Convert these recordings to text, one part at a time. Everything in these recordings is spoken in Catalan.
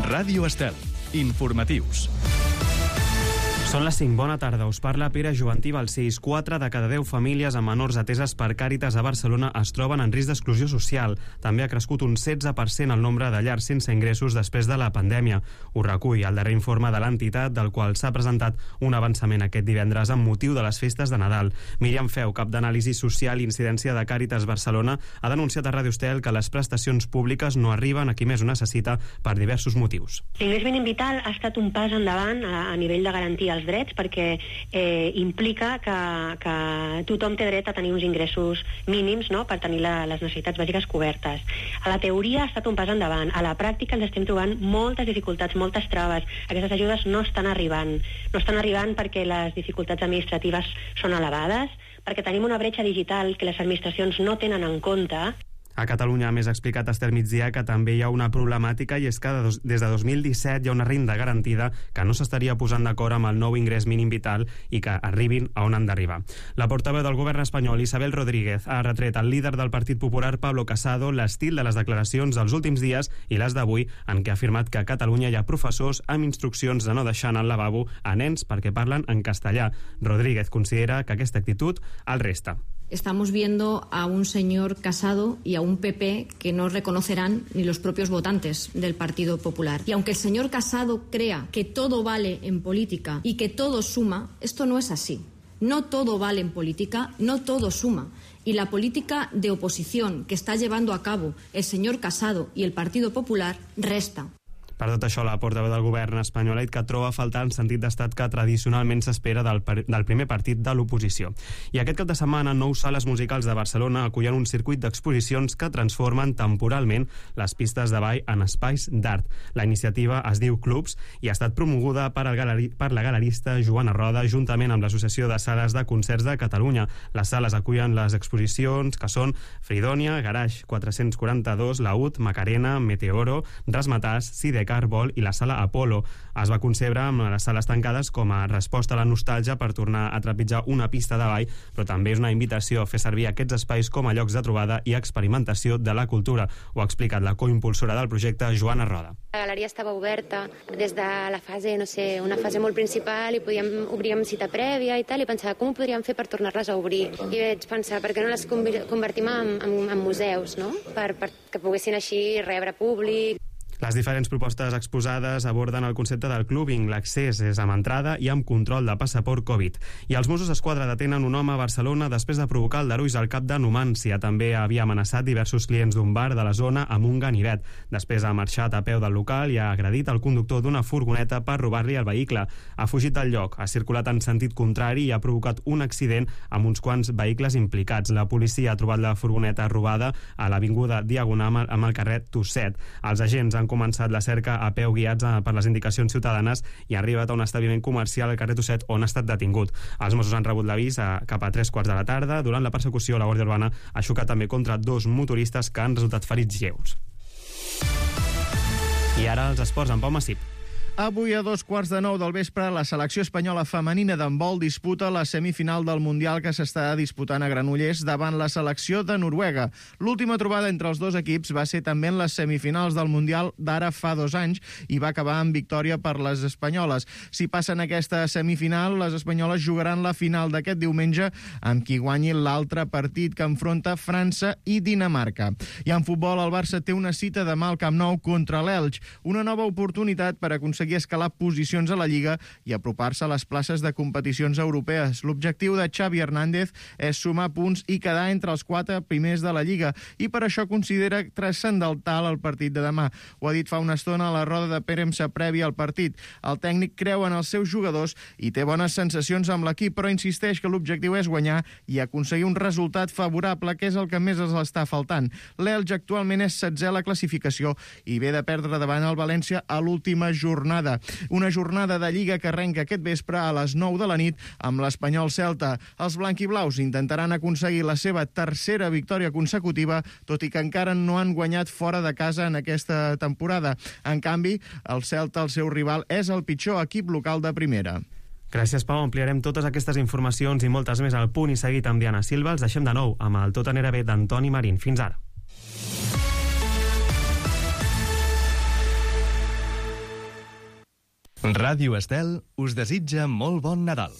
Ràdio Estel. Informatius. Són les 5. Bona tarda. Us parla Pere Jovantí Balcells. 4 de cada 10 famílies amb menors ateses per Càritas a Barcelona es troben en risc d'exclusió social. També ha crescut un 16% el nombre de llars sense ingressos després de la pandèmia. Ho recull el darrer informe de l'entitat, del qual s'ha presentat un avançament aquest divendres amb motiu de les festes de Nadal. Míriam Feu, cap d'anàlisi social i incidència de Càritas Barcelona, ha denunciat a Ràdio Estel que les prestacions públiques no arriben a qui més ho necessita per diversos motius. L'ingrés mínim vital ha estat un pas endavant a nivell de garantir els drets, perquè implica que tothom té dret a tenir uns ingressos mínims, no?, per tenir les necessitats bàsiques cobertes. A la teoria ha estat un pas endavant. A la pràctica ens estem trobant moltes dificultats, moltes traves. Aquestes ajudes no estan arribant. No estan arribant perquè les dificultats administratives són elevades, perquè tenim una bretxa digital que les administracions no tenen en compte. A Catalunya, a més, ha explicat Esther Migdia que també hi ha una problemàtica, i és que des de 2017 hi ha una renda garantida que no s'estaria posant d'acord amb el nou ingrés mínim vital i que arribin a on han d'arribar. La portaveu del govern espanyol, Isabel Rodríguez, ha retret al líder del Partit Popular, Pablo Casado, l'estil de les declaracions dels últims dies i les d'avui, en què ha afirmat que a Catalunya hi ha professors amb instruccions de no deixar anar al lavabo a nens perquè parlen en castellà. Rodríguez considera que aquesta actitud el resta. Estamos viendo a un señor Casado y a un PP que no reconocerán ni los propios votantes del Partido Popular. Y aunque el señor Casado crea que todo vale en política y que todo suma, esto no es así. No todo vale en política, no todo suma. Y la política de oposición que está llevando a cabo el señor Casado y el Partido Popular resta. Per tot això, la portaveu del govern espanyol ha dit que troba a faltar el sentit d'estat que tradicionalment s'espera del primer partit de l'oposició. I aquest cap de setmana, 9 sales musicals de Barcelona acullen un circuit d'exposicions que transformen temporalment les pistes de ball en espais d'art. La iniciativa es diu Clubs i ha estat promoguda per la galerista Joana Roda juntament amb l'Associació de Sales de Concerts de Catalunya. Les sales acullen les exposicions que són Fridònia, Garage 442, Laúd, Macarena, Meteoro, Rasmatàs, Sidecar Vol i la sala Apolo. Es va concebre amb les sales tancades com a resposta a la nostàlgia per tornar a trepitjar una pista de ball, però també és una invitació a fer servir aquests espais com a llocs de trobada i experimentació de la cultura. Ho ha explicat la coimpulsora del projecte, Joana Roda. La galeria estava oberta des de la fase, una fase molt principal, i obríem cita prèvia i tal, i pensava com ho podríem fer per tornar-les a obrir. I vaig pensar, per què no les convertim en museus, no?, que poguessin així rebre públic. Les diferents propostes exposades aborden el concepte del clubbing. L'accés és amb entrada i amb control de passaport Covid. I els Mossos d'Esquadra detenen un home a Barcelona després de provocar aldarulls al cap de Numància. També havia amenaçat diversos clients d'un bar de la zona amb un ganivet. Després ha marxat a peu del local i ha agredit el conductor d'una furgoneta per robar-li el vehicle. Ha fugit del lloc, ha circulat en sentit contrari i ha provocat un accident amb uns quants vehicles implicats. La policia ha trobat la furgoneta robada a l'avinguda Diagonal amb el carrer Tusset. Els agents han començat la cerca a peu guiats per les indicacions ciutadanes i ha arribat a un establiment comercial al carrer Tusset on ha estat detingut. Els Mossos han rebut l'avís cap a 3:15 de la tarda. Durant la persecució, la Guàrdia Urbana ha xocat també contra 2 motoristes que han resultat ferits lleus. I ara els esports amb Pau Massip. Avui a 2:15 del vespre, la selecció espanyola femenina d'handbol disputa la semifinal del Mundial que s'està disputant a Granollers davant la selecció de Noruega. L'última trobada entre els dos equips va ser també en les semifinals del Mundial d'ara fa 2 anys i va acabar amb victòria per les espanyoles. Si passen aquesta semifinal, les espanyoles jugaran la final d'aquest diumenge amb qui guanyi l'altre partit que enfronta França i Dinamarca. I en futbol, el Barça té una cita demà al Camp Nou contra l'Elx, una nova oportunitat per aconseguir escalar posicions a la Lliga i apropar-se a les places de competicions europees. L'objectiu de Xavi Hernández és sumar punts i quedar entre els 4 primers de la Lliga, i per això considera transcendental el partit de demà. Ho ha dit fa una estona a la roda de premsa prèvia al partit. El tècnic creu en els seus jugadors i té bones sensacions amb l'equip, però insisteix que l'objectiu és guanyar i aconseguir un resultat favorable, que és el que més els està faltant. L'Elx actualment és 16è a la classificació i ve de perdre davant el València a l'última jornada. Una jornada de Lliga que arrenca aquest vespre a les 9 de la nit amb l'Espanyol Celta. Els blanquiblaus intentaran aconseguir la seva 3a victòria consecutiva, tot i que encara no han guanyat fora de casa en aquesta temporada. En canvi, el Celta, el seu rival, és el pitjor equip local de primera. Gràcies, Pau. Ampliarem totes aquestes informacions i moltes més al Punt i Seguit amb Diana Silva. Els deixem de nou amb el Tot anirà bé d'Antoni Marín. Fins ara. Ràdio Estel us desitja molt bon Nadal.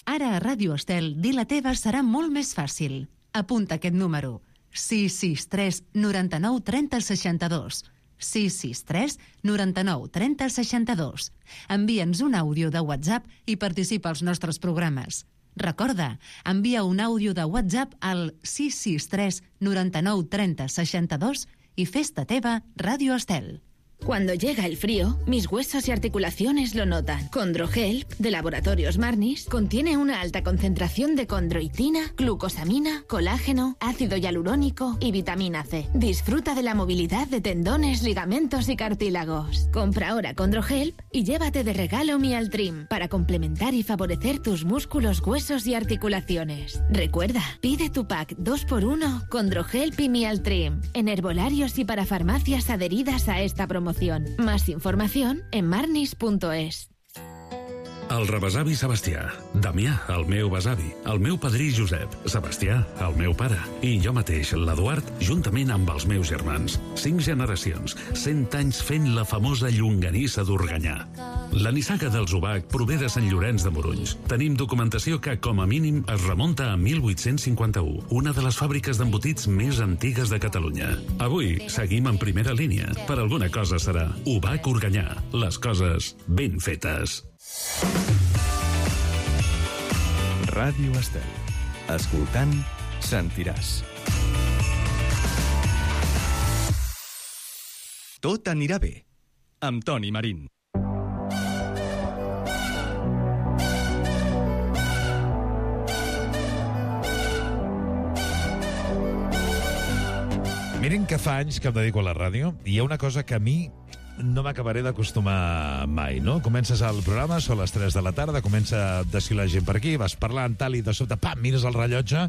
Ara a Ràdio Estel, dir la teva serà molt més fàcil. Apunta aquest número: 663 99 30 62. 663 99 30 62. Envia'ns un àudio de WhatsApp i participa als nostres programes. Recorda, envia un àudio de WhatsApp al 663 99 30 62 i fes-te teva Ràdio Estel. Cuando llega el frío, mis huesos y articulaciones lo notan. Condrohelp, de Laboratorios Marnis, contiene una alta concentración de condroitina, glucosamina, colágeno, ácido hialurónico y vitamina C. Disfruta de la movilidad de tendones, ligamentos y cartílagos. Compra ahora Condrohelp y llévate de regalo Mialtrim para complementar y favorecer tus músculos, huesos y articulaciones. Recuerda, pide tu pack 2x1 Condrohelp y Mialtrim en herbolarios y para farmacias adheridas a esta promoción. Más información en marnis.es. El rebesavi Sebastià, Damià, el meu besavi, el meu padrí Josep, Sebastià, el meu pare, i jo mateix, l'Eduard, juntament amb els meus germans. 5 generacions, 100 anys fent la famosa llonganissa d'Organyà. La nissaga dels Obac prové de Sant Llorenç de Morunys. Tenim documentació que, com a mínim, es remunta a 1851, una de les fàbriques d'embotits més antigues de Catalunya. Avui seguim en primera línia. Per alguna cosa serà Obac Organyà. Les coses ben fetes. Ràdio Estel. Escoltant, sentiràs. Tot anirà bé. Amb Toni Marín. Miren que fa anys que em dedico a la ràdio i hi ha una cosa que a mi no m'acabaré d'acostumar mai, no? Comences el programa, són les 3 de la tarda, comença a desfilar gent per aquí, vas parlant, tal, i de sobte, pam, mires el rellotge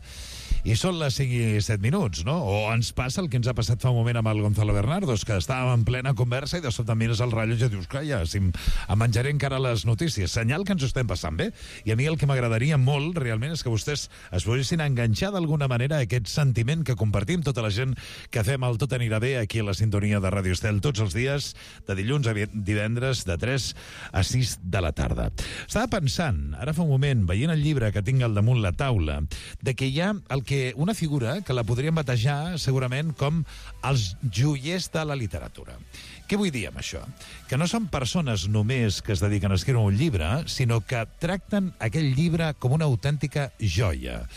i són les 5 i 7 minuts, no? O ens passa el que ens ha passat fa un moment amb el Gonzalo Bernardos, que estàvem en plena conversa i de sobte mires el rellotge i dius, calla, si em menjaré encara les notícies. Senyal que ens ho estem passant bé. I a mi el que m'agradaria molt, realment, és que vostès es poguessin enganxar d'alguna manera a aquest sentiment que compartim tota la gent que fem el Tot anirà bé aquí a la sintonia de Ràdio Estel tots els dies, de dilluns a divendres, de 3 a 6 de la tarda. Estava pensant, ara fa un moment, veient el llibre que tinc al damunt la taula, de que hi ha una figura que la podríem batejar segurament com els joiers de la literatura. Què vull dir amb això? Que no són persones només que es dediquen a escriure un llibre, sinó que tracten aquell llibre com una autèntica joia.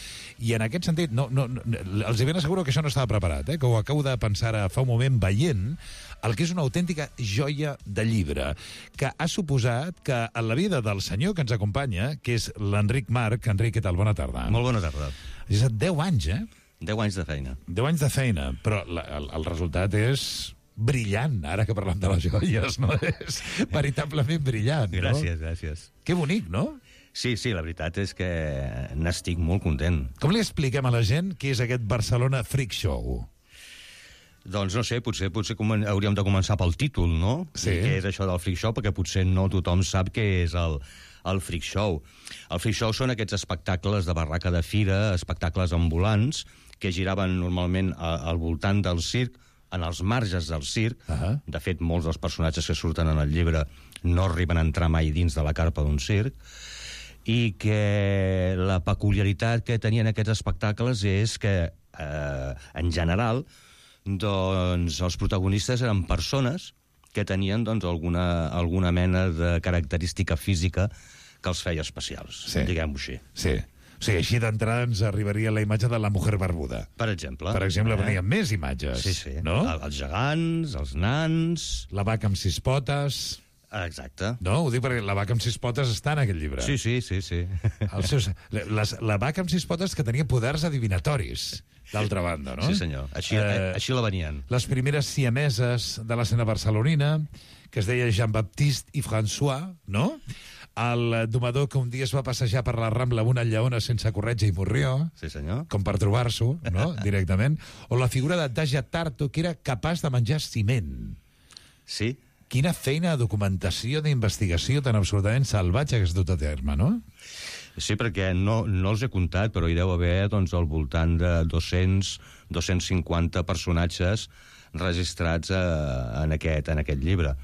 I en aquest sentit, els ben asseguro que això no estava preparat, que ho acabo de pensar fa un moment veient el que és una autèntica joia de llibre, que ha suposat que en la vida del senyor que ens acompanya, que és l'Enric Marc. Enric, què tal? Bona tarda. Molt bona tarda. És 10 anys, 10 anys de feina. 10 anys de feina, però el resultat és brillant, ara que parlem de les joies, no? És veritablement brillant, no? Gràcies, gràcies. Que bonic, no? Sí, la veritat és que n'estic molt content. Com li expliquem a la gent què és aquest Barcelona Freak Show? Doncs no sé, potser hauríem de començar pel títol, no? Sí. I què és això del Freak Show, perquè potser no tothom sap què és el Freak Show. El Freak Show són aquests espectacles de barraca de fira, espectacles ambulants, que giraven normalment al voltant del circ, en els marges del circ. De fet, molts dels personatges que surten en el llibre no arriben a entrar mai dins de la carpa d'un circ, i que la peculiaritat que tenien aquests espectacles és que, en general, doncs, els protagonistes eren persones que tenien alguna mena de característica física que els feia especials, diguem-ho així. Sí. O sigui, així d'entrada ens arribaria la imatge de la mujer barbuda. Per exemple. Per exemple, venien més imatges. Sí. No? Els gegants, els nans... La vaca amb 6 potes... Exacte. No, ho dic perquè la vaca amb 6 potes està en aquest llibre. Sí. La vaca amb 6 potes que tenia poders adivinatoris, d'altra banda, no? Sí, senyor. Així la venien. Les primeres siameses de l'escena barcelonina, que es deia Jean-Baptiste i François, no? El domador que un dia es va passejar per la Rambla amb una lleona sense corretja i morrió. Sí, senyor. Com per trobar-s'ho, no? Directament. O la figura de Daja Tarto, que era capaç de menjar ciment. Sí. Quina feina de documentació, d'investigació tan absolutament salvatge que has dut a terme, no? Sí, perquè no els he comptat, però hi deu haver doncs, al voltant de 250 personatges registrats en aquest llibre.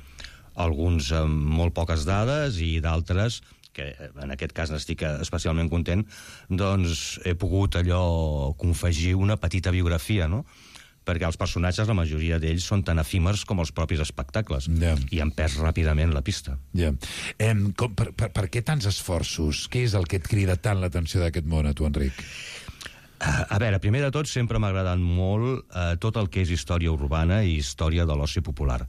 Alguns amb molt poques dades i d'altres, que en aquest cas n'estic especialment content, doncs he pogut allò confegir una petita biografia, no? Perquè els personatges, la majoria d'ells, són tan efímers com els propis espectacles, i han perd ràpidament la pista. Per què tants esforços? Què és el que et crida tant l'atenció d'aquest món, a tu, Enric? A veure, primer de tot, sempre m'ha agradat molt tot el que és història urbana i història de l'oci popular.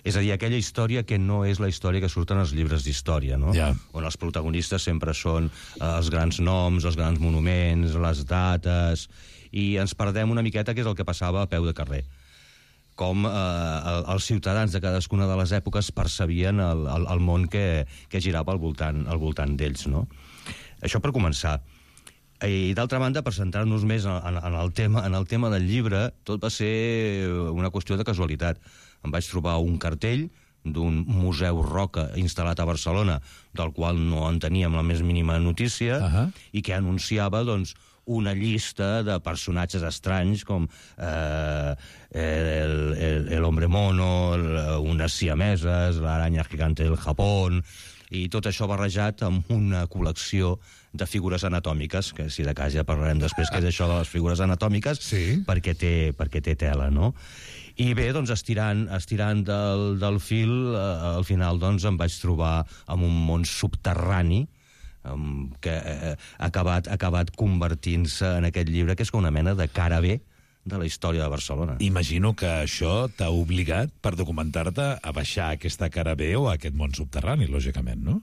És a dir, aquella història que no és la història que surten als llibres d'història, no? On els protagonistes sempre són els grans noms, els grans monuments, les dates, i ens perdem una miqueta que és el que passava a peu de carrer. Com els ciutadans de cadascuna de les èpoques percebien el món que girava al voltant d'ells, no? Això per començar. I d'altra banda, per centrar-nos més en el tema del llibre, tot va ser una qüestió de casualitat. Em vaig trobar un cartell d'un museu Roca instal·lat a Barcelona, del qual no en teníem la més mínima notícia, i que anunciava, doncs, una llista de personatges estranys com el hombre mono, unes siameses, l'aranya gigante del Japón, i tot això barrejat amb una col·lecció de figures anatòmiques, que si de cas ja parlarem després què és això de les figures anatòmiques, perquè té tela, no? I bé, doncs, estirant del fil, al final doncs, em vaig trobar amb un món subterrani que ha acabat convertint-se en aquest llibre, que és una mena de cara B de la història de Barcelona. Imagino que això t'ha obligat, per documentar-te, a baixar aquesta cara B o aquest món subterrani, lògicament, no?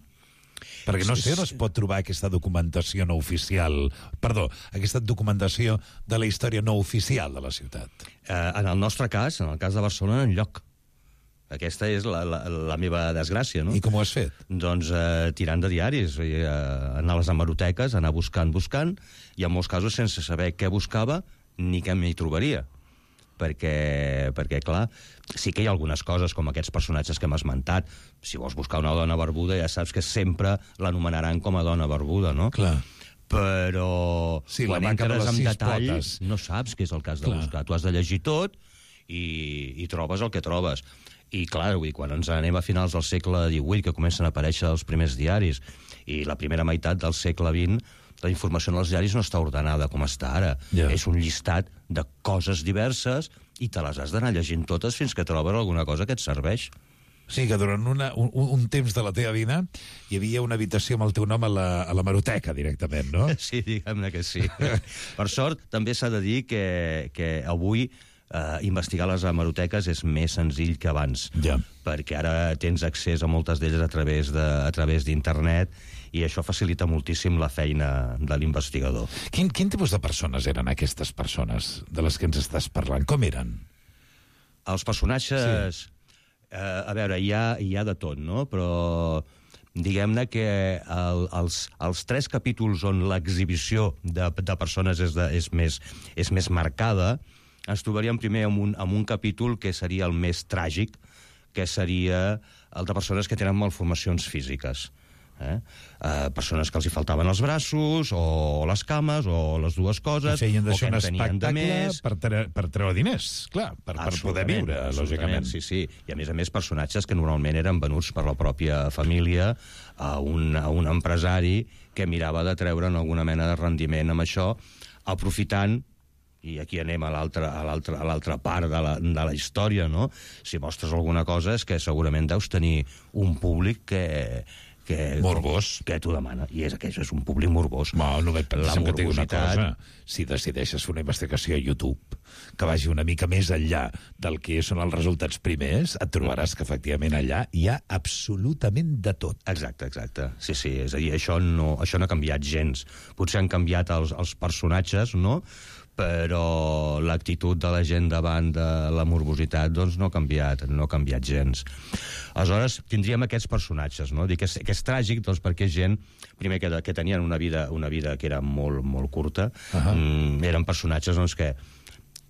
Perquè no sé on es pot trobar aquesta documentació no oficial... Perdó, aquesta documentació de la història no oficial de la ciutat. En el nostre cas, en el cas de Barcelona, enlloc. Aquesta és la meva desgràcia, no? I com ho has fet? Doncs tirant de diaris, anar a les hemeroteques, anar buscant, i en molts casos sense saber què buscava ni què m'hi trobaria. Perquè, clar, sí que hi ha algunes coses, com aquests personatges que hem esmentat. Si vols buscar una dona barbuda, ja saps que sempre l'anomenaran com a dona barbuda, no? Clar. Però quan entres en detall no saps què és el que has de buscar. Tu has de llegir tot i trobes el que trobes. I clar, quan ens anem a finals del segle XVIII, que comencen a aparèixer els primers diaris, i la primera meitat del segle XX, la informació en els diaris no està ordenada com està ara. És un llistat de coses diverses i te les has d'anar llegint totes fins que trobes alguna cosa que et serveix. Sí, que durant un temps de la teva vida hi havia una habitació amb el teu nom a l'hemeroteca, directament, no? Sí, diguem-ne que sí. Per sort, també s'ha de dir que avui investigar les hemeroteques és més senzill que abans, perquè ara tens accés a moltes d'elles a través d'internet, i això facilita moltíssim la feina de l'investigador. Quin tipus de persones eren aquestes persones de les que ens estàs parlant? Com eren? Els personatges... A veure, hi ha de tot, no? Però diguem-ne que els 3 capítols on l'exhibició de persones és més marcada, ens trobaríem primer amb un capítol que seria el més tràgic, que seria el de persones que tenen malformacions físiques. Persones que els hi faltaven els braços, o les cames, o les dues coses, feien o que un en tenien de més. espectacle per treure diners, clar, per poder viure, lògicament. Sí. I a més personatges que normalment eren venuts per la pròpia família a un empresari que mirava de treure'n alguna mena de rendiment amb això, aprofitant, i aquí anem a l'altra part de la història, no? Si mostres alguna cosa és que segurament deus tenir un públic morbós, que t'ho demana, i aquest és un públic morbós. No veig pensant que et digui una cosa. Si decideixes fer una investigació a YouTube que vagi una mica més enllà del que són els resultats primers, et trobaràs que efectivament allà hi ha absolutament de tot. Exacte. Sí, és a dir, això no ha canviat gens. Potser han canviat els personatges, no?, però l'actitud de la gent davant de la morbositat doncs no ha canviat gens. Aleshores, tindríem aquests personatges, no? Dic que és tràgic, doncs, perquè gent, primer, que tenien una vida que era molt, molt curta, eren personatges doncs, que,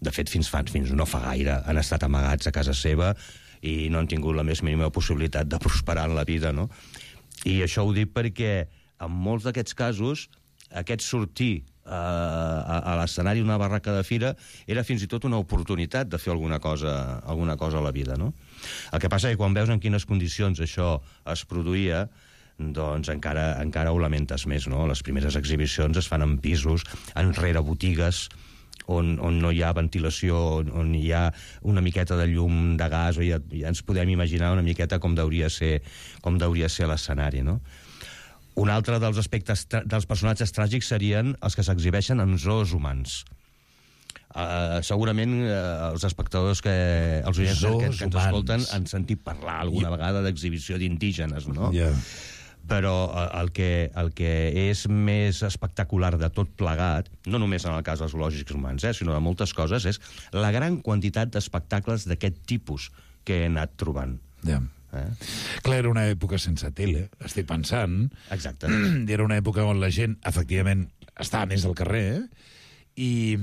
de fet, fins no fa gaire, han estat amagats a casa seva i no han tingut la més mínima possibilitat de prosperar en la vida, no? I això ho dic perquè en molts d'aquests casos, aquest sortir a l'escenari d'una barraca de fira era fins i tot una oportunitat de fer alguna cosa a la vida, no? El que passa és que quan veus en quines condicions això es produïa, doncs encara ho lamentes més, no? Les primeres exhibicions es fan en pisos, enrere botigues, on no hi ha ventilació, on hi ha una miqueta de llum de gas, o ja ens podem imaginar una miqueta com deuria ser l'escenari, no? Un altre dels aspectes dels personatges tràgics serien els que s'exhibeixen en zoos humans. Segurament els espectadors, els oients que ens escolten, han sentit parlar alguna vegada d'exhibició d'indígenes, no? Però el que és més espectacular de tot plegat, no només en el cas dels zoològics humans, sinó de moltes coses, és la gran quantitat d'espectacles d'aquest tipus que he anat trobant. Clar, era una època sense tele, estic pensant. Exacte. Era una època on la gent, efectivament, estava més al carrer, i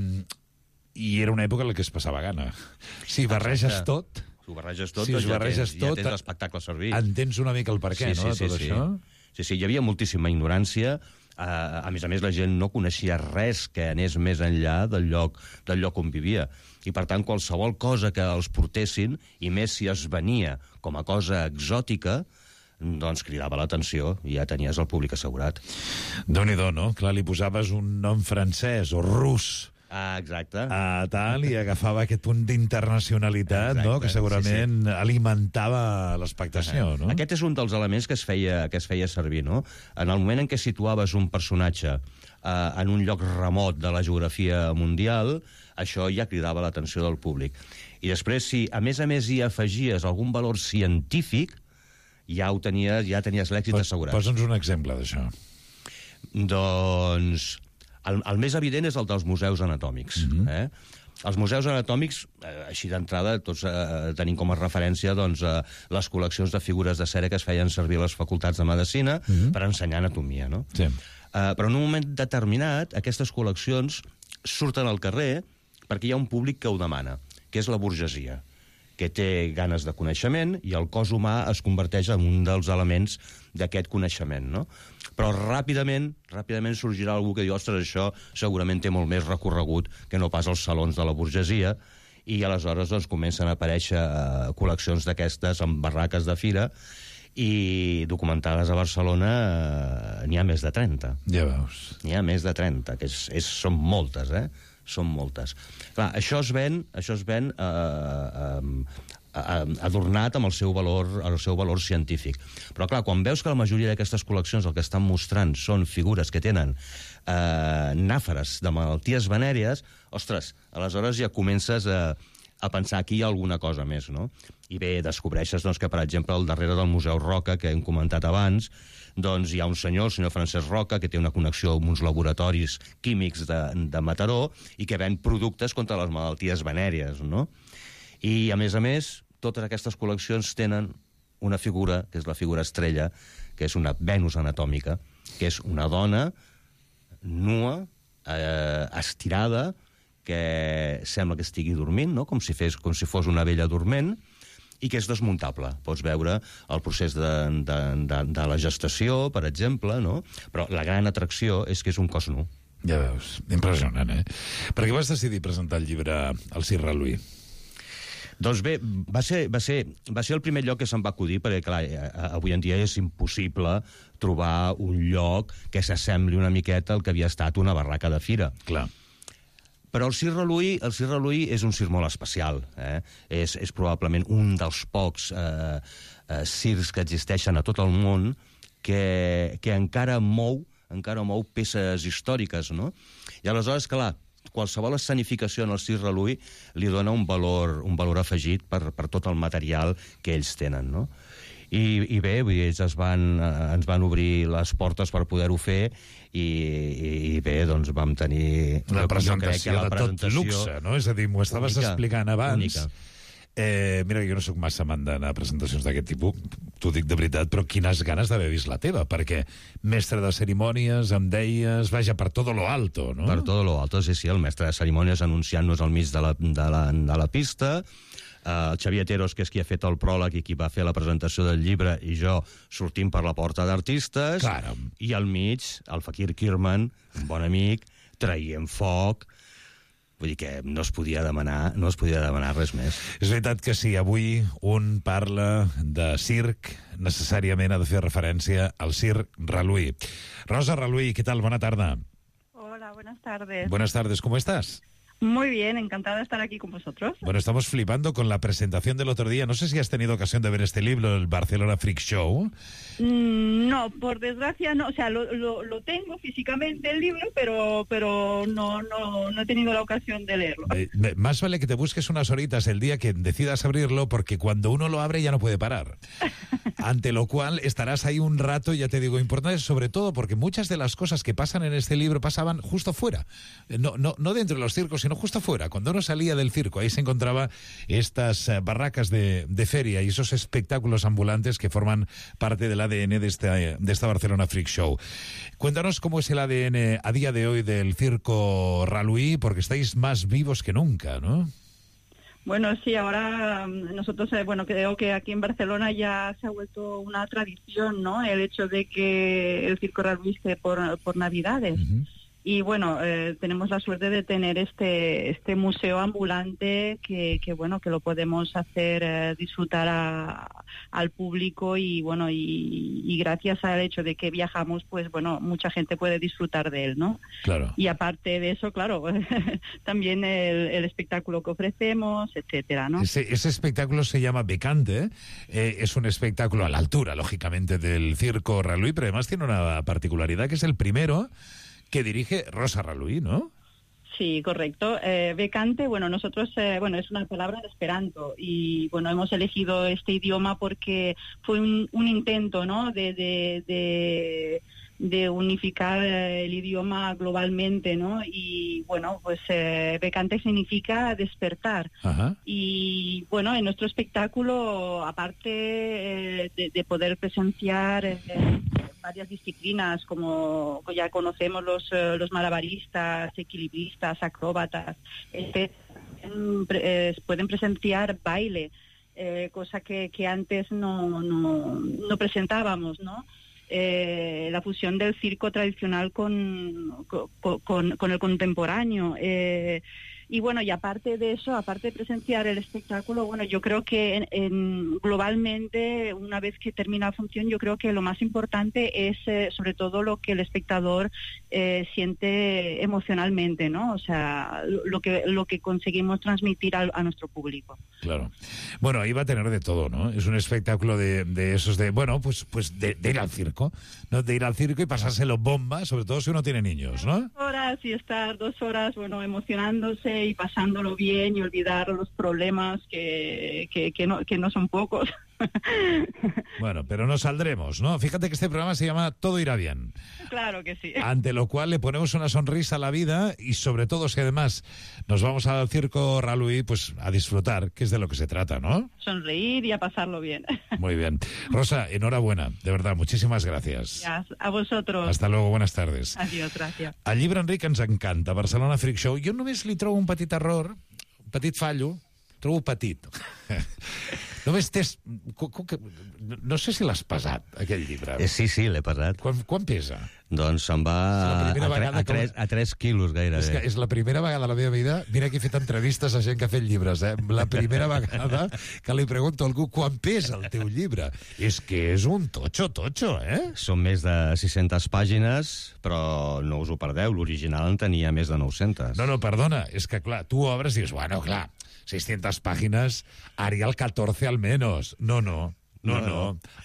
era una època en la que es passava gana. Si barreges tot... Si ho barreges tot, ja tens l'espectacle a servir. Entens una mica el perquè, no, de tot això? Sí, hi havia moltíssima ignorància. A més, la gent no coneixia res que anés més enllà del lloc on vivia. I, per tant, qualsevol cosa que els portessin, i més si es venia com a cosa exòtica, doncs cridava l'atenció i ja tenies el públic assegurat. Déu-n'hi-do, no? Clar, li posaves un nom francès o rus, exacte. Tal, i agafava aquest punt d'internacionalitat, no? Que segurament alimentava l'expectació, no? Aquest és un dels elements que es feia servir, no? En el moment en què situaves un personatge en un lloc remot de la geografia mundial, això ja cridava l'atenció del públic. I després, si a més hi afegies algun valor científic, ja tenies l'èxit assegurat. Posa'ns un exemple d'això. Doncs... El més evident és el dels museus anatòmics. Els museus anatòmics, així d'entrada, tots tenim com a referència les col·leccions de figures de cera que es feien servir a les facultats de medicina per ensenyar anatomia, no? Sí. Però en un moment determinat, aquestes col·leccions surten al carrer perquè hi ha un públic que ho demana, que és la burgesia, que té ganes de coneixement, i el cos humà es converteix en un dels elements d'aquest coneixement, no? Però ràpidament sorgirà algú que diu, ostres, això segurament té molt més recorregut que no pas als salons de la burgesia, i aleshores comencen a aparèixer col·leccions d'aquestes en barraques de fira, i documentades a Barcelona n'hi ha més de 30. Ja veus. N'hi ha més de 30, que són moltes, Són moltes. Clar, això es ven adornat amb el seu valor científic. Però, clar, quan veus que la majoria d'aquestes col·leccions el que estan mostrant són figures que tenen nàferes de malalties venèries, ostres, aleshores ja comences a pensar aquí hi ha alguna cosa més, no? I bé, descobreixes que, per exemple, al darrere del Museu Roca, que hem comentat abans, doncs hi ha un senyor, el senyor Francesc Roca, que té una connexió amb uns laboratoris químics de Mataró i que ven productes contra les malalties venèries, no? I, a més, totes aquestes col·leccions tenen una figura, que és la figura estrella, que és una Venus anatòmica, que és una dona nua, estirada, que sembla que estigui dormint, no? com si fos una vella dorment, i que és desmuntable. Pots veure el procés de la gestació, per exemple, no? Però la gran atracció és que és un cos nu. Ja veus, impressionant, Per què vas decidir presentar el llibre al Cirra Louis? Doncs bé, va ser el primer lloc que se'm va acudir, perquè, clar, avui en dia és impossible trobar un lloc que s'assembli una miqueta al que havia estat una barraca de fira. Clar. Però el Cirra Louis és un circ molt especial. És probablement un dels pocs circs que existeixen a tot el món que encara mou peces històriques, no? I aleshores, clar, qualsevol escenificació en el Cirra Louis li dona un valor afegit per tot el material que ells tenen, no? I bé, ells ens van obrir les portes per poder-ho fer, i bé, doncs vam tenir una presentació de tot luxe, no? És a dir, m'ho estaves explicant abans. Única. Mira, jo no sóc massa amant d'anar a presentacions d'aquest tipus, t'ho dic de veritat, però quines ganes d'haver vist la teva, perquè mestre de cerimònies, em deies, vaja, per todo lo alto, no? Per todo lo alto, sí, el mestre de cerimònies anunciant-nos al mig de la pista, el Xavier Teros, que és qui ha fet el pròleg i qui va fer la presentació del llibre, i jo sortim per la porta d'artistes, i al mig, el Fakir Kirman, un bon amic, traient foc. Vull dir que no es podia demanar res més. És veritat que si avui un parla de circ, necessàriament ha de fer referència al circ Raluí. Rosa Raluí, ¿qué tal? Buena tarde. Hola, buenas tardes. Buenas tardes, ¿cómo estás? Muy bien, encantada de estar aquí con vosotros. Bueno, estamos flipando con la presentación del otro día. No sé si has tenido ocasión de ver este libro, el Barcelona Freak Show. No, por desgracia no. O sea, lo tengo físicamente el libro, pero no he tenido la ocasión de leerlo. Más vale que te busques unas horitas el día que decidas abrirlo, porque cuando uno lo abre ya no puede parar. Ante lo cual estarás ahí un rato, ya te digo, importante sobre todo porque muchas de las cosas que pasan en este libro pasaban justo fuera. No dentro de los circos, sino justo fuera. Cuando uno salía del circo, ahí se encontraba estas barracas de feria y esos espectáculos ambulantes que forman parte del ADN de esta Barcelona Freak Show. Cuéntanos cómo es el ADN a día de hoy del circo Raluí, porque estáis más vivos que nunca, ¿no? Bueno, sí, ahora nosotros, creo que aquí en Barcelona ya se ha vuelto una tradición, ¿no? El hecho de que el circo Raluí esté por Navidades. Uh-huh. Y bueno, tenemos la suerte de tener este museo ambulante que lo podemos hacer disfrutar al público y bueno, y gracias al hecho de que viajamos, pues bueno, mucha gente puede disfrutar de él, ¿no? Claro. Y aparte de eso, claro, también el espectáculo que ofrecemos, etcétera, ¿no? Ese espectáculo se llama Becante, es un espectáculo a la altura, lógicamente, del circo Raluí, pero además tiene una particularidad que es el primero que dirige Rosa Raluí, ¿no? Sí, correcto. Becante, nosotros, es una palabra en esperanto y, hemos elegido este idioma porque fue un intento, ¿no?, de unificar el idioma globalmente, ¿no? Y, Becante significa despertar. Ajá. Y, en nuestro espectáculo, aparte de poder presenciar varias disciplinas, como ya conocemos los malabaristas, equilibristas, acróbatas, pueden presenciar baile, cosa que antes no presentábamos, ¿no? La fusión del circo tradicional con el contemporáneo. Y aparte de eso, aparte de presenciar el espectáculo, yo creo que globalmente, una vez que termina la función, yo creo que lo más importante es sobre todo lo que el espectador siente emocionalmente, ¿no? O sea, lo que conseguimos transmitir a nuestro público. Claro. Bueno, ahí va a tener de todo, ¿no? Es un espectáculo de esos de ir al circo, ¿no? De ir al circo y pasárselo bomba, sobre todo si uno tiene niños, ¿no? 2 horas y estar 2 horas, emocionándose y pasándolo bien y olvidar los problemas que no son pocos. Bueno, pero nos saldremos, ¿no? Fíjate que este programa se llama Todo irá bien. Claro que sí. Ante lo cual le ponemos una sonrisa a la vida y sobre todo si además nos vamos al circo Raluí, pues a disfrutar, que es de lo que se trata, ¿no? Sonreír y a pasarlo bien. Muy bien. Rosa, enhorabuena, de verdad, muchísimas gràcies. A vosotros. Hasta luego, buenas tardes. Adiós, gràcies. El llibre, Enric, ens encanta, Barcelona Freak Show. Jo només li trobo un petit error, un petit fallo, trobo petit. Només tens... No sé si l'has pesat, aquell llibre. Sí, l'he pesat. Quan pesa? Doncs se'n va a 3 quilos gairebé. És la primera vegada a la meva vida, mira que he fet entrevistes a gent que ha fet llibres, la primera vegada que li pregunto a algú quan pesa el teu llibre. És que és un totxo, eh? Són més de 600 pàgines, però no us ho perdeu, l'original en tenia més de 900. No, perdona, és que clar, tu obres i dius, bueno, clar, 600 páginas, haría el 14 al menos. No.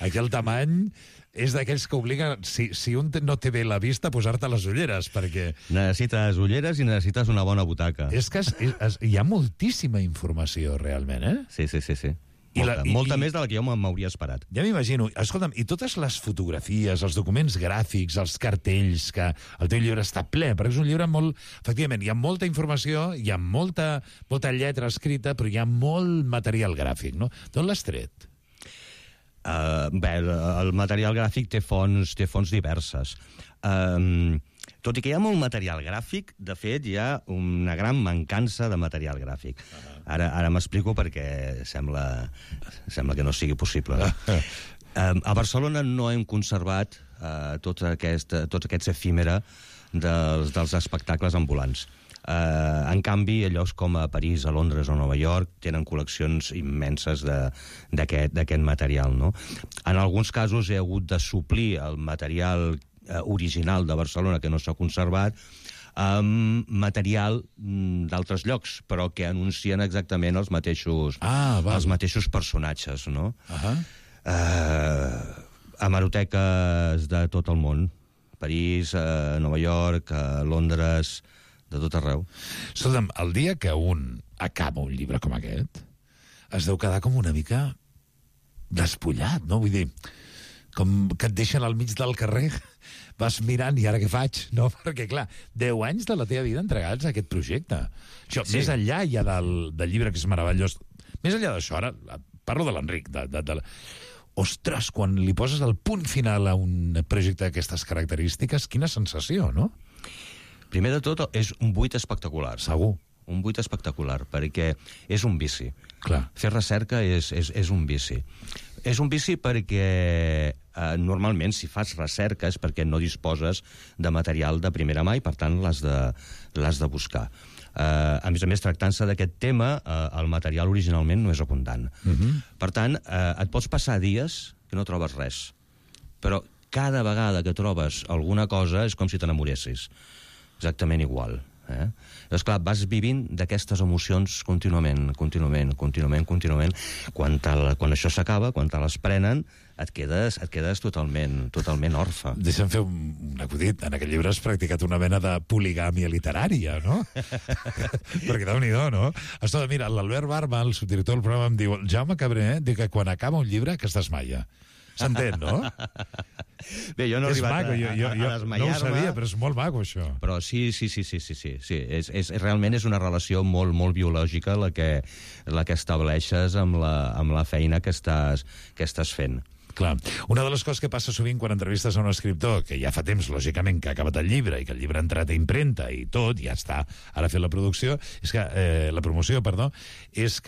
Aquí el tamany és d'aquells que obliguen, si un no té bé la vista, posar-te les ulleres, perquè... Necessites ulleres i necessites una bona butaca. És que hi ha moltíssima informació, realment, eh? Sí. Molta més de la que jo m'hauria esperat. Ja m'imagino. Escolta'm, i totes les fotografies, els documents gràfics, els cartells, que el teu llibre està ple, perquè és un llibre molt... Efectivament, hi ha molta informació, hi ha molta lletra escrita, però hi ha molt material gràfic, no? D'on l'has tret? El material gràfic té fonts diverses. Tot i que hi ha molt material gràfic, de fet, hi ha una gran mancança de material gràfic. Ara m'explico perquè sembla que no sigui possible. A Barcelona no hem conservat tots aquests efímera dels espectacles ambulants. En canvi, a llocs com a París, a Londres o a Nova York tenen col·leccions immenses d'aquest material, no? En alguns casos he hagut de suplir el material original de Barcelona que no s'ha conservat amb material d'altres llocs, però que anuncien exactament els mateixos personatges, no? Hemeroteques de tot el món. París, Nova York, Londres, de tot arreu. Escolta'm, el dia que un acaba un llibre com aquest, es deu quedar com una mica despullat, no? Vull dir, com que et deixen al mig del carrer, vas mirant, i ara què faig? No, perquè, clar, 10 anys de la teva vida entregats a aquest projecte. Això, sí. Més enllà ja del llibre, que és meravellós, més enllà d'això, ara parlo de l'Enric, ostres, quan li poses el punt final a un projecte d'aquestes característiques, quina sensació, no? Primer de tot, és un buit espectacular. Segur. Un buit espectacular, perquè és un vici. Clar. Fer recerca és un vici. És un vici perquè normalment si fas recerca és perquè no disposes de material de primera mà i, per tant, l'has de buscar. A més, tractant-se d'aquest tema, el material originalment no és abundant. Per tant, et pots passar dies que no trobes res. Però cada vegada que trobes alguna cosa és com si t'enamoressis. Exactament igual. Llavors, clar, vas vivint d'aquestes emocions contínuament. Quan això s'acaba, quan te les prenen, et quedes totalment orfe. Deixa'm fer un acudit. En aquest llibre has practicat una mena de poligàmia literària, no? Perquè Déu-n'hi-do, no? Escolta, mira, l'Albert Barba, el subdirector del programa, em diu: Jaume Cabré, diu que quan acaba un llibre que es desmaia. S'entén, no? Bé, jo no he arribat a desmaiar-me. No ho sabia, però és molt maco, això. Però sí. Realment és una relació molt, molt biològica la que estableixes amb la feina que estàs fent. Clar. Una de les coses que passa sovint quan entrevistes a un escriptor, que ja fa temps, lògicament, que ha acabat el llibre i que el llibre ha entrat a impremta i tot, ja està, ara fent la promoció, és que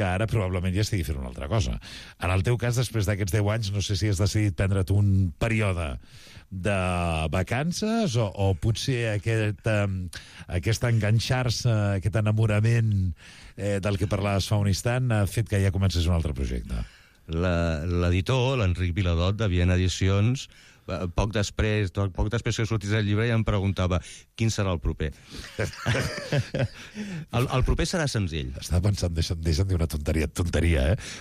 ara probablement ja estigui fent una altra cosa. En el teu cas, després d'aquests 10 anys, no sé si has decidit prendre't un període de vacances o potser aquest enganxar-se, aquest enamorament del que parlaves fa un instant ha fet que ja comences un altre projecte. L'editor, l'Enric Viladot, de Viena Edicions, poc després que sortís el llibre ja em preguntava quin serà el proper. El proper serà senzill. Estava pensant, deixa'm dir una tonteria,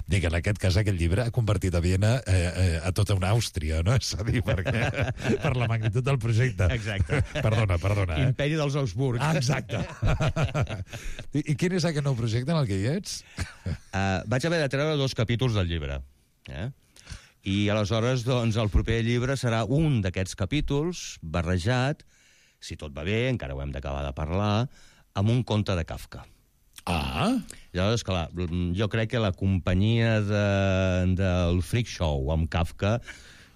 Dic, en aquest cas aquest llibre ha convertit a Viena a tota una Àustria, no? És a dir, per la magnitud del projecte. Exacte. Perdona. Imperi dels Augsburg. Exacte. I quin és aquest nou projecte en el que hi ets? Vaig haver de treure 2 capítols del llibre. I aleshores, doncs, el proper llibre serà un d'aquests capítols barrejat, si tot va bé, encara ho hem d'acabar de parlar, amb un conte de Kafka. Llavors, clar, jo crec que la companyia del Freak Show amb Kafka,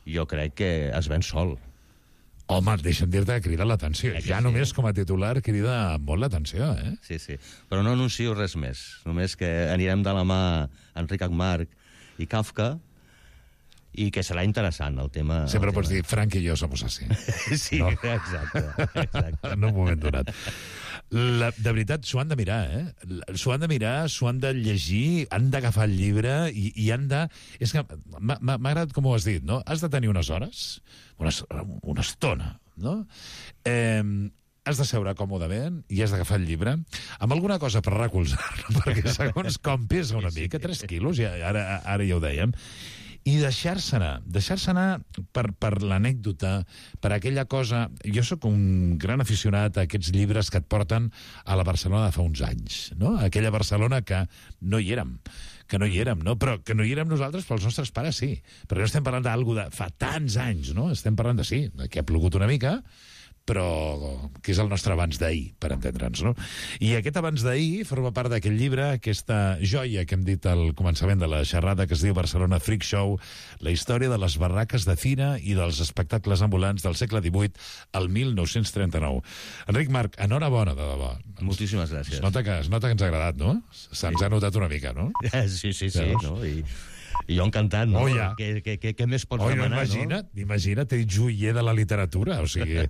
jo crec que es ven sol. Home, deixa'm dir-te que crida l'atenció. Ja només com a titular crida molt l'atenció, Sí. Però no anuncio res més. Només que anirem de la mà Enric Agmarch i Kafka, i que serà interessant el tema. Sempre pots dir, Frank i jo somos así. Sí, no? Exacte. En un moment donat. De veritat, s'ho han de mirar, S'ho han de mirar, s'ho han de llegir, han d'agafar el llibre i han de... És que m'ha agradat com ho has dit, no? Has de tenir unes hores, una estona, no? Has de seure còmodament i has d'agafar el llibre amb alguna cosa per recolzar-lo, perquè segons com pesa una mica, 3 quilos, ara ja ho dèiem, i deixar-se anar per l'anècdota, per aquella cosa... Jo sóc un gran aficionat a aquests llibres que et porten a la Barcelona de fa uns anys, no? Aquella Barcelona que no hi érem, no? Però que no hi érem nosaltres, però els nostres pares sí. Perquè no estem parlant d'algú de fa tants anys, no? Estem parlant de, sí, que ha plogut una mica, però que és el nostre abans d'ahir, per entendre'ns, no? I aquest abans d'ahir forma part d'aquest llibre, aquesta joia que hem dit al començament de la xerrada, que es diu Barcelona Freak Show, la història de les barraques de fira i dels espectacles ambulants del segle XVIII al 1939. Enric Marc, enhorabona, de debò. Moltíssimes gràcies. Es nota que ens ha agradat, no? Se'ns ha notat una mica, no? Sí, no? I jo encantat, no? Ja. Què més pots demanar, no? Imagina't, ets joier de la literatura. O sigui,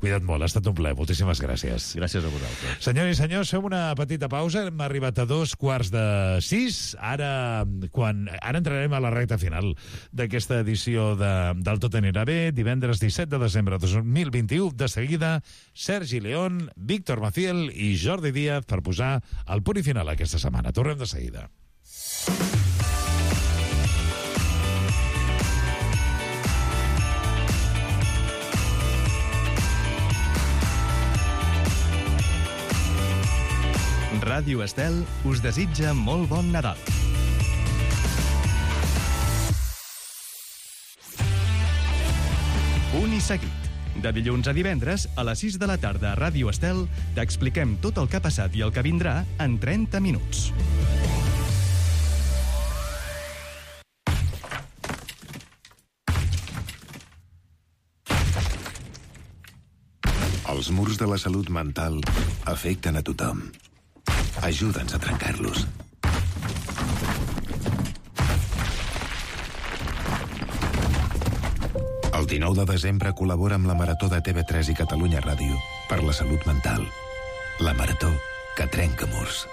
cuida't molt, ha estat un plaer. Moltíssimes gràcies. Gràcies a vosaltres. Senyors i senyors, fem una petita pausa. Hem arribat a 5:45. Ara entrarem a la recta final d'aquesta edició del Tot anirà bé. Divendres 17 de desembre de 2021. De seguida, Sergi León, Víctor Maciel i Jordi Díaz per posar el punt i final aquesta setmana. Tornem de seguida. Ràdio Estel us desitja molt bon Nadal. Punt i seguit. De dilluns a divendres, a les 6 de la tarda a Ràdio Estel, t'expliquem tot el que ha passat i el que vindrà en 30 minuts. Els murs de la salut mental afecten a tothom. Ajuda'ns a trencar-los. El 19 de desembre col·labora amb la Marató de TV3 i Catalunya Ràdio per la salut mental. La Marató que trenca murs.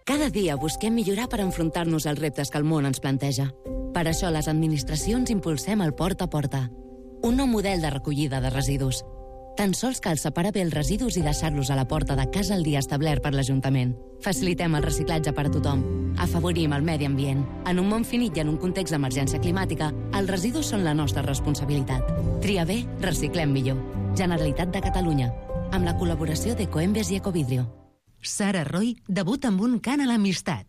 Cada dia busquem millorar per enfrontar-nos als reptes que el món ens planteja. Per això les administracions impulsem el Porta a Porta, un nou model de recollida de residus. Tan sols cal separar bé els residus i deixar-los a la porta de casa el dia establert per l'Ajuntament. Facilitem el reciclatge per a tothom. Afavorim el medi ambient. En un món finit i en un context d'emergència climàtica, els residus són la nostra responsabilitat. Tria bé, reciclem millor. Generalitat de Catalunya. Amb la col·laboració d'Ecoembes i Ecovidrio. Sara Roy debuta amb un cant a l'amistat.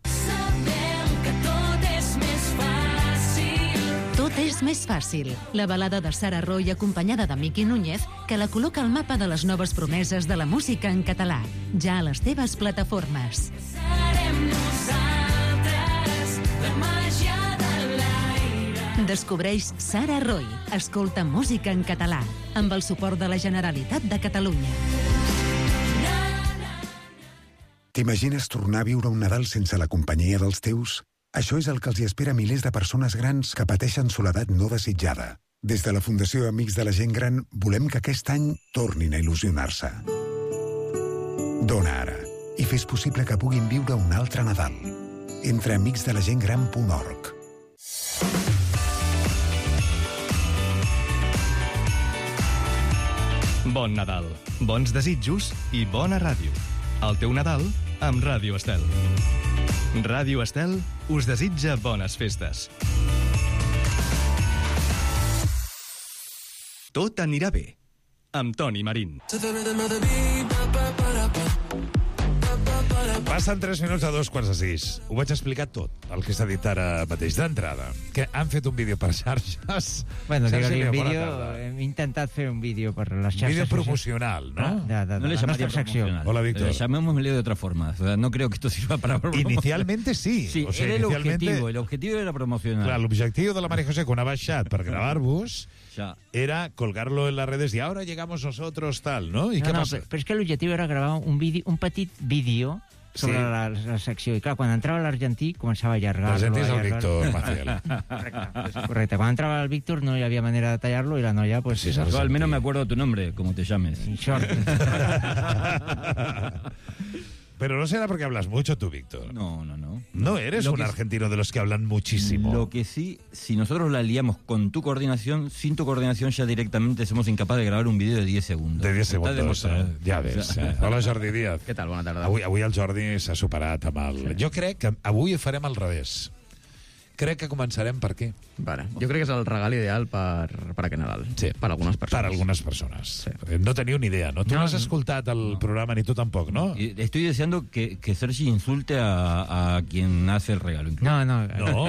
Tot és més fàcil. La balada de Sara Roy acompanyada de Miqui Núñez que la col·loca al mapa de les noves promeses de la música en català. Ja a les teves plataformes. Serem nosaltres, la màgia de l'aire. Descobreix Sara Roy. Escolta música en català. Amb el suport de la Generalitat de Catalunya. T'imagines tornar a viure un Nadal sense la companyia dels teus? Això és el que els hi espera a milers de persones grans que pateixen soledat no desitjada. Des de la Fundació Amics de la Gent Gran volem que aquest any tornin a il·lusionar-se. Dona ara i fes possible que puguin viure un altre Nadal. Entra a amicsdelagentgran.org. Bon Nadal, bons desitjos i bona ràdio. El teu Nadal amb Ràdio Estel. Ràdio Estel us desitja bones festes. Tot anirà bé, amb Toni Marín. Passen 3 minuts a 5:45. Ho vaig explicar tot, el que s'ha dit ara mateix d'entrada. Que han fet un vídeo per xarxes. Bueno, digue-li un vídeo, hem intentat fer un vídeo per les xarxes. Vídeo promocional, ¿no? No le llamaría promocional. Hola, Víctor. Llamémosle de otra forma. O sea, no creo que esto sirva para promocionar. Inicialmente sí. Sí, o sea, era inicialmente... el objetivo era promocionar. Clar, l'objectiu de la María José quan ha baixat per gravar-vos era colgarlo en las redes y ahora llegamos nosotros, tal, ¿no? ¿Y qué pasa? Però és que l'objectiu era gravar un petit vídeo sobre la secció. I clar, quan entrava l'argentí començava a allargar. L'argentí és el Víctor Maciel. Correcte. Quan entrava el Víctor no hi havia manera de tallar-lo i la noia... Pues, sí, yo al menos me acuerdo tu nombre, como te llames. Pero no será porque hablas mucho tú, Víctor. No. No eres un argentino de los que hablan muchísimo. Lo que sí, si nosotros la liamos con tu coordinación, sin tu coordinación ya directamente somos incapaces de gravar un vídeo de 10 segundos. De 10 segundos, ja ves. Hola, Jordi Díaz. Què tal? Bona tarda. Avui el Jordi s'ha superat amb el... Sí. Jo crec que avui ho farem al revés. Crec que començarem per aquí. Vale. Jo crec que és el regal ideal per aquest Nadal. Sí. Per algunes persones. Per algunes persones. Sí. No teniu ni idea, no? Tu no has escoltat el programa, ni tu tampoc, ¿no? Estoy deseando que Sergi insulte a quien hace el regalo. No. No. ¿No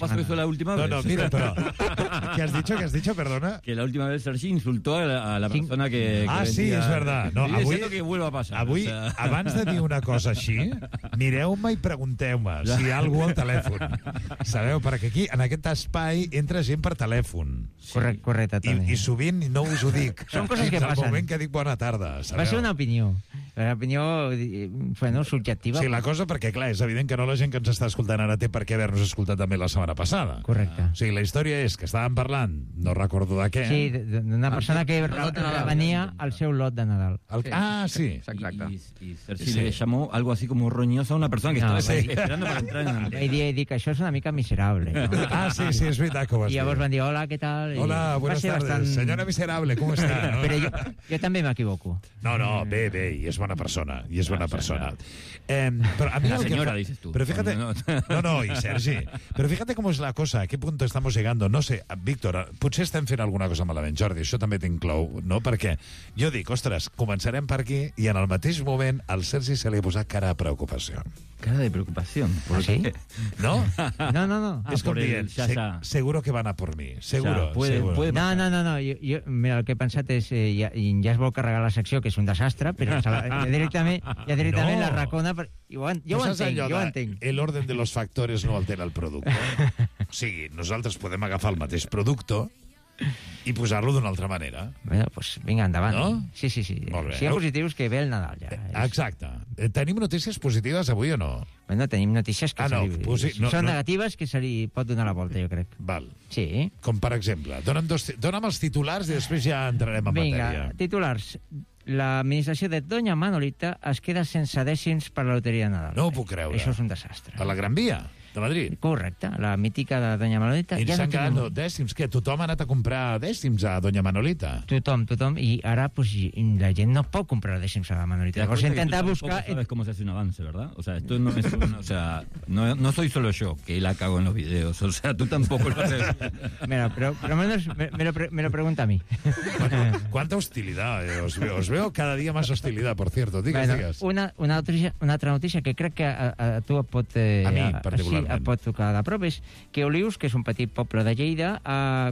pasó eso la última vez? No, mira, però ¿Qué has dicho? Perdona. Que la última vez Sergi insultó a la persona que sí, és verdad. No, avui, diciendo que vuelva a pasar. Avui, abans de dir una cosa així, mireu-me i pregunteu-me si hi ha algú al telèfon. Sabeu? Perquè aquí, en aquest espai, entra gent per telèfon. Correcte, Toni. I sovint no us ho dic. Són coses que passen. Al moment que dic bona tarda, sabeu? Va ser una opinió. Una opinió, bueno, subjectiva. Sí, la cosa, perquè, clar, és evident que no la gent que ens està escoltant ara té per què haver-nos escoltat també la setmana passada. Correcte. O sigui, la història és que estàvem parlant, no recordo de què. Sí, d'una persona que venia al seu lot de Nadal. Sí. Exacte. Y Sergi le llamó algo así como roñosa a una persona que estaba esperando para entrar en el... I dic, això és una mica miserable. No? Sí, és veritat que ho vas dir. I llavors van dir, hola, què tal? Hola, buenas tardes. Senyora miserable, com està? No? Però jo també m'equivoco. No, bé, i és bona persona. Pero a mí la señora, dices tú. Pero fíjate... No, y Sergi. Pero fíjate cómo es la cosa, a qué punto estamos llegando. No sé, Víctor, potser estem fent alguna cosa malament. Jordi, això també t'inclou, no? Perquè jo dic, ostres, començarem per aquí i en el mateix moment al Sergi se li ha posat cara de preocupació. Cara de preocupación. ¿Por qué? ¿Sí? ¿No? No. Es com dient, seguro que van a por mi. Seguro. Puede no. Jo, mira, el que he pensat és, ja es vol carregar la secció, que és un desastre, però ja directament la racona... Jo ho entenc. El orden de los factores no altera el producte. O sigui, nosaltres podem agafar el mateix producte i posar-lo d'una altra manera. Bueno, pues vinga, endavant. No? Sí. Molt bé. Si hi ha positius, que ve el Nadal, ja. Exacte. Tenim notícies positives avui o no? Bueno, tenim notícies que són negatives, que se li pot donar la volta, jo crec. Val. Sí. Com per exemple? Dona'm els titulars i després ja entrarem en matèria. Vinga, titulars. L'administració de Doña Manolita es queda sense dècims per la loteria de Nadal. No ho puc creure. Això és un desastre. A la Gran Via de Madrid? Correcte, la mítica de Doña Manolita. I s'han quedat dècims. Què? Tothom ha anat a comprar dècims a Doña Manolita? Tothom. I ara pues, la gent no pot comprar dècims a la Manolita. Llavors intentar buscar... Sabes cómo se hace un avance, ¿verdad? O sea, esto no es no soy solo yo que la cago en los videos. O sea, tú tampoco lo haces. Mira, pero por lo menos me lo pregunta a mí. ¿Cuánta hostilidad? Os veo cada día más hostilidad, por cierto. Digas. Una altra notícia que crec que a tu et pot... a mi, particularment. Et pot tocar de prop, és que Olius, que és un petit poble de Lleida,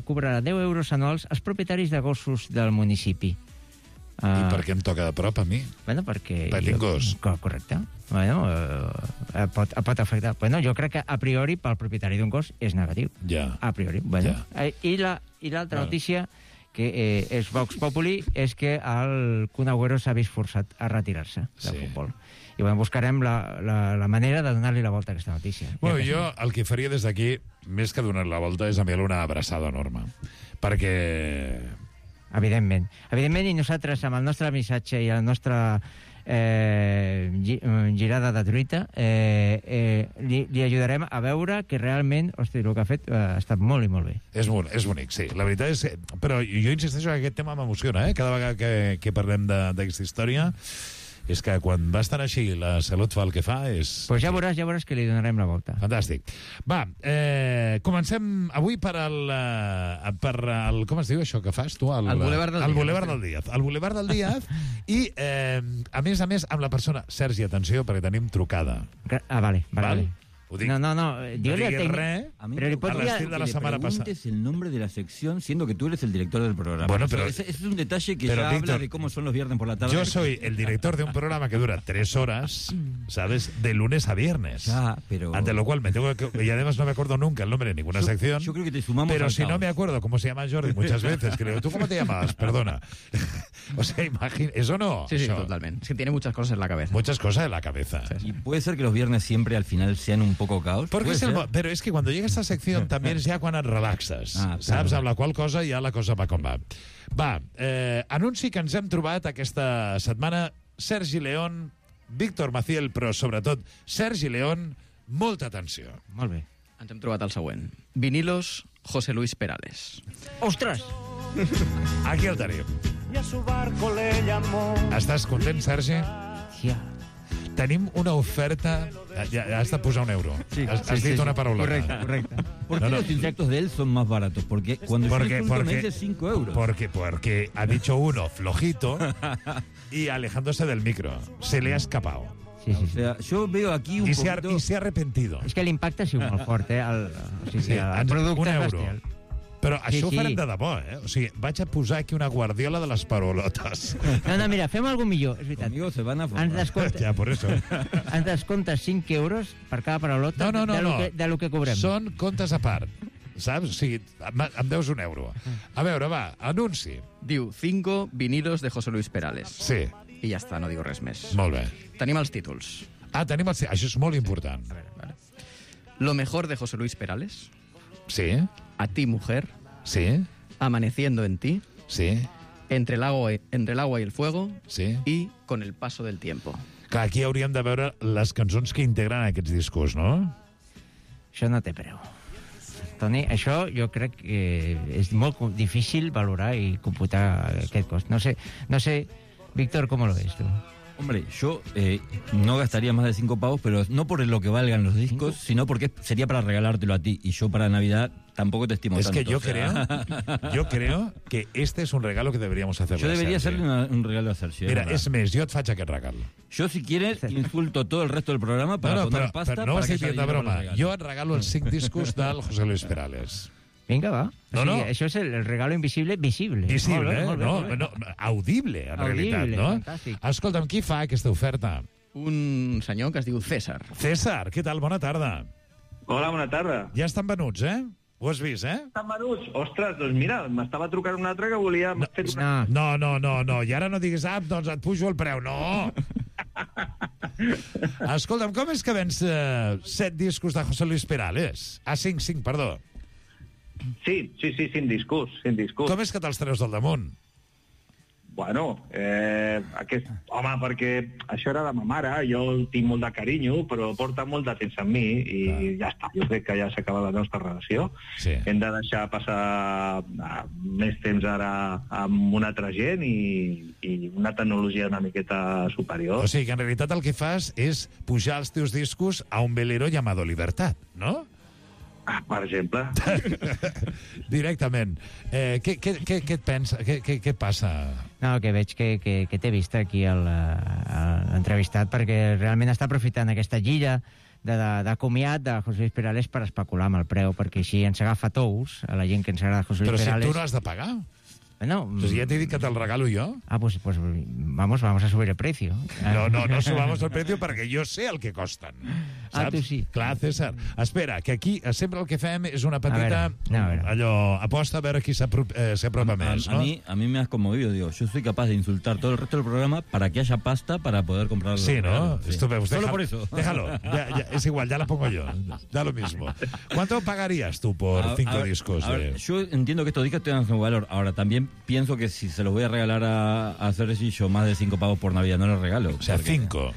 cobrarà 10 euros anuals als propietaris de gossos del municipi. I per què em toca de prop a mi? Bueno, perquè... Petit gos. Correcte. Bueno, pot afectar. Bueno, jo crec que a priori pel propietari d'un gos és negatiu. Ja. A priori. Bueno. Ja. I l'altra notícia que és Vox Populi és que el Kun Agüero s'ha vist forçat a retirar-se del futbol. I bueno, buscarem la manera de donar-li la volta a aquesta notícia. Bueno, jo el que faria des d'aquí, més que donar la volta, és enviar-li una abraçada enorme. Perquè... Evidentment, i nosaltres, amb el nostre missatge i la nostra girada de truita, li ajudarem a veure que realment, hosti, el que ha fet ha estat molt i molt bé. És bonic, sí. La veritat és... Però jo insisteixo que aquest tema m'emociona, Cada vegada que parlem d'aquesta història, és que quan va estar així la Salut fa el que fa és... Pues ja veuràs que li donarem la volta. Fantàstic. Va, comencem avui per el... Com es diu això que fas tu? El Boulevard del Díaz. El Boulevard del Díaz i, a més, amb la persona... Sergi, atenció, perquè tenim trucada. Vale. Ho dic. No, Dígale res, pero le podría... de la semana pasada. El nombre de la sección, siendo que tú eres el director del programa. Bueno, pero... Ese es un detalle que ya habla de cómo son los viernes por la tarde. Yo soy el director de un programa que dura 3 horas, ¿sabes? De lunes a viernes. Ya, pero... Ante lo cual me tengo que... Y además no me acuerdo nunca el nombre de ninguna sección. Yo creo que te sumamos. Pero si no me acuerdo cómo se llama Jordi muchas veces, creo. ¿Tú cómo te llamas? Perdona. O sea, imagina... ¿Eso no? Sí, totalmente. Es que tiene muchas cosas en la cabeza. Muchas cosas en la cabeza. Sí. Y puede ser que los viernes siempre al final sean un poco caos. Però és que quan llega esta secció també és ja quan et relaxes, saps? Amb la qual cosa ja la cosa va com va. Va, anunci que ens hem trobat aquesta setmana Sergi León, Víctor Maciel, però sobretot Sergi León, molta atenció. Molt bé. Ens hem trobat el següent. Vinilos José Luis Perales. Ostres! Aquí el tenim. Estàs content, Sergi? Sí. Tenim una oferta... Ja has de posar €1. Sí, has dit una paraula. Correcto. ¿Por qué los insectos de él son más baratos? Porque cuando yo insulto me dice €5. Porque ha dicho uno flojito y alejándose del micro. Se le ha escapado. Sí. O sea, yo veo aquí un poquito... I s'ha arrepentido. És que l'impacte ha sigut molt fort, el producte €1. bestial. Però això ho farem de debò, O sigui, vaig a posar aquí una guardiola de les parolotes. No, mira, fem alguna millor, és veritat. Conmigo se van a formar. Ja, por eso. Ens descomptes 5 euros per cada parolota de lo que cobrem. Són comptes a part, saps? O sigui, em deus €1. A veure, va, anunci. Diu 5 vinilos de José Luis Perales. Sí. I ja està, no digo res més. Molt bé. Tenim els títols. Tenim els... Això és molt important. Vale. Lo mejor de José Luis Perales. Sí. A ti, mujer. Sí. Amaneciendo en ti. Sí. Entre el agua y el fuego. Sí. I con el paso del tiempo. Clar, aquí hauríem de veure les cançons que integren aquests discos, no? Això no té preu. Toni, això jo crec que és molt difícil valorar i computar aquest cost. No sé, Víctor, ¿cómo lo ves tú? Hombre, yo no gastaría más de 5 pavos, pero no por lo que valgan los discos, sino porque sería para regalártelo a ti. Y yo para Navidad tampoco te estimo es tanto. Es que yo creo que este es un regalo que deberíamos hacerle. Yo debería hacerle un regalo a Sergi. Mira, es més, jo et faig aquest regalo. Yo, si quieres, insulto todo el resto del programa para poner pasta. Però no para estic dient de broma. Jo et regalo els 5 discos del José Luis Perales. Vinga, va. No. Això és el regalo invisible visible. Visible, molt bé. No, audible, en realitat, no? Fantàstic. Escolta'm, qui fa aquesta oferta? Un senyor que es diu César. César, què tal? Bona tarda. Hola, bona tarda. Ja estan venuts, Ho has vist, Estan venuts? Ostres, doncs mira, m'estava trucant un altre que volia... No, i ara no diguis, doncs et pujo el preu. No! Escolta'm, com és que vens 7 discos de José Luis Perales? 5, perdó. Sí, 5 discos. Com és que te'ls treus del damunt? Bueno, home, perquè això era de ma mare, jo tinc molt de carinyo, però porta molt de temps amb mi i ja està, jo crec que ja s'acaba la nostra relació. Sí. Hem de deixar passar més temps ara amb una altra gent i una tecnologia una miqueta superior. O sigui que en realitat el que fas és pujar els teus discos a un velero llamado Libertad, no? Per exemple. Directament. Què et pensa? Què et passa? No, que veig que t'he vist aquí l'entrevistat perquè realment està aprofitant aquesta gira de comiat de José Luis Perales per especular amb el preu, perquè així ens agafa tous a la gent que ens agrada José Luis Perales. Però si tu no has de pagar. Bueno, entonces ya te he dicho que te lo regalo yo. Pues vamos a subir el precio. No subamos el precio perquè jo sé el que costen. Saps? Tu sí. Clar, César. Espera, que aquí sempre el que fem és una petita allò, aposta a veure qui s'apropa més, ¿no? A mí me has conmovido, digo, yo soy capaz de insultar todo el resto del programa para que haya pasta para poder comprarlo. Sí, ¿no? Sí. Solo por eso. Déjalo, ya, es igual, ya la pongo yo. Da lo mismo. ¿Cuánto pagarías tú por 5 discos? Yo entiendo que estos discos tengan su valor. Ahora, también pienso que si se los voy a regalar a Sergi, yo más de 5 pavos por Navidad no los regalo. O sea, 5 euros.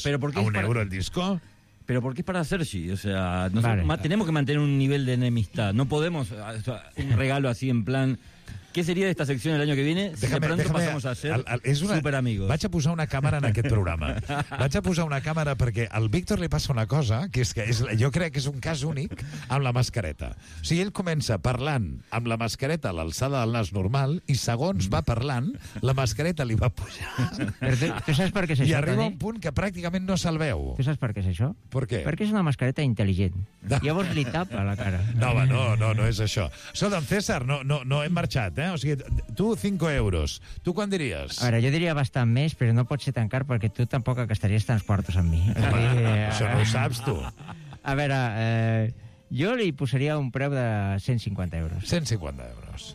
Pero ¿por qué ¿A €1 el disco? Pero porque es para Sergi, o sea, tenemos que mantener un nivel de enemistad. No podemos un regalo así en plan... Què seria d'esta secció el año que viene si de pronto pasamos a ser superamigos? Vaig a posar una càmera en aquest programa. Vaig a posar una càmera perquè al Víctor li passa una cosa, que és que jo crec que és un cas únic amb la mascareta. O sigui, ell comença parlant amb la mascareta a l'alçada del nas normal i segons va parlant, la mascareta li va pujar. Tu saps per què és això, I arriba un punt que pràcticament no se'l veu. Tu saps per què és això? Per què? Perquè és una mascareta intel·ligent. Llavors li tapa la cara. No, home, no és això. Escolta'm, César, no hem marxat, O sigui, tu 5 euros. Tu quan diries? A veure, jo diria bastant més, però no pot ser tan car perquè tu tampoc gastaries tants quartos amb mi. Això no ho saps, tu. A veure, jo li posaria un preu de 150 euros. 150 euros.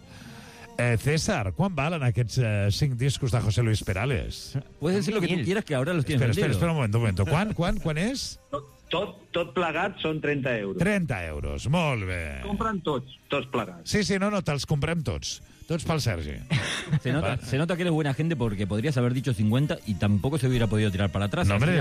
César, ¿cuán valen aquests 5 discos de José Luis Perales? Puedes decir lo que tú quieras, que ahora los tienes vendidos. Espera un momento. ¿Cuán és? Tot plegat són 30 euros. 30 euros, molt bé. Compren tots plegats. Sí, no, te'ls comprem tots. Tots pel Sergi. Se nota que eres buena gente porque podrías haber dicho 50 y tampoco se hubiera podido tirar para atrás. No, hombre,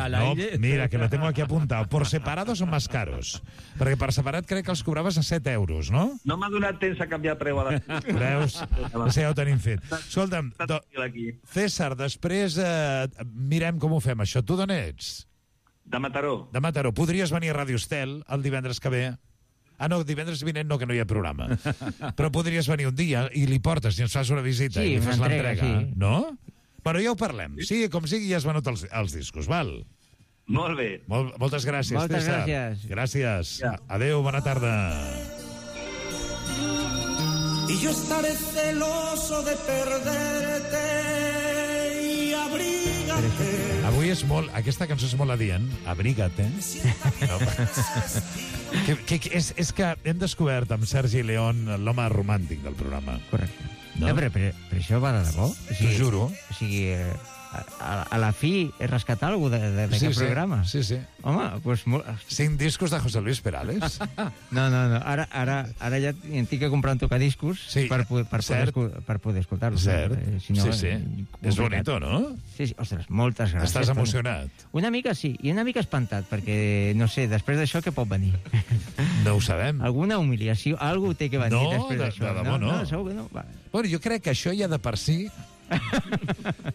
mira, que lo tengo aquí apuntado. Por separado son más caros. Perquè per separat crec que els cobraves a 7 euros, no? No m'ha donat temps a canviar preu a la... Veus? Ja ho tenim fet. Escolta'm, César, després mirem com ho fem, això. Tu d'on ets? De Mataró. De Mataró. Podries venir a Ràdio Estel el divendres que ve? No, divendres vinent no, que no hi ha programa. Però podries venir un dia i li portes i ens fas una visita i li fas l'entrega, no? Però ja ho parlem. Sigui com sigui, ja has venut els discos, val? Molt bé. Moltes gràcies, César. Moltes gràcies. Gràcies. Adéu, bona tarda. y yo estaré celoso de perderte y abrígate. Avui és molt... Aquesta cançó és molt adient. Abrígate. No. És que hem descobert amb Sergi León l'home romàntic del programa. Correcte. No, però això va de debò. T'ho juro. O sigui, a la fi rescatar alguna cosa d'aquest programa. Sí. Home, doncs... 5 discos de José Luis Perales. No. Ara ja tinc que comprar un tocadiscos per poder escoltar-lo. Cert. Sí. És bonito, no? Sí. Ostres, moltes gràcies. Estàs emocionat? Una mica sí, i una mica espantat, perquè, no sé, després d'això què pot venir? No ho sabem. Alguna humiliació, alguna té que venir després d'això. No, segur que no. Bueno, jo crec que això ja de per si...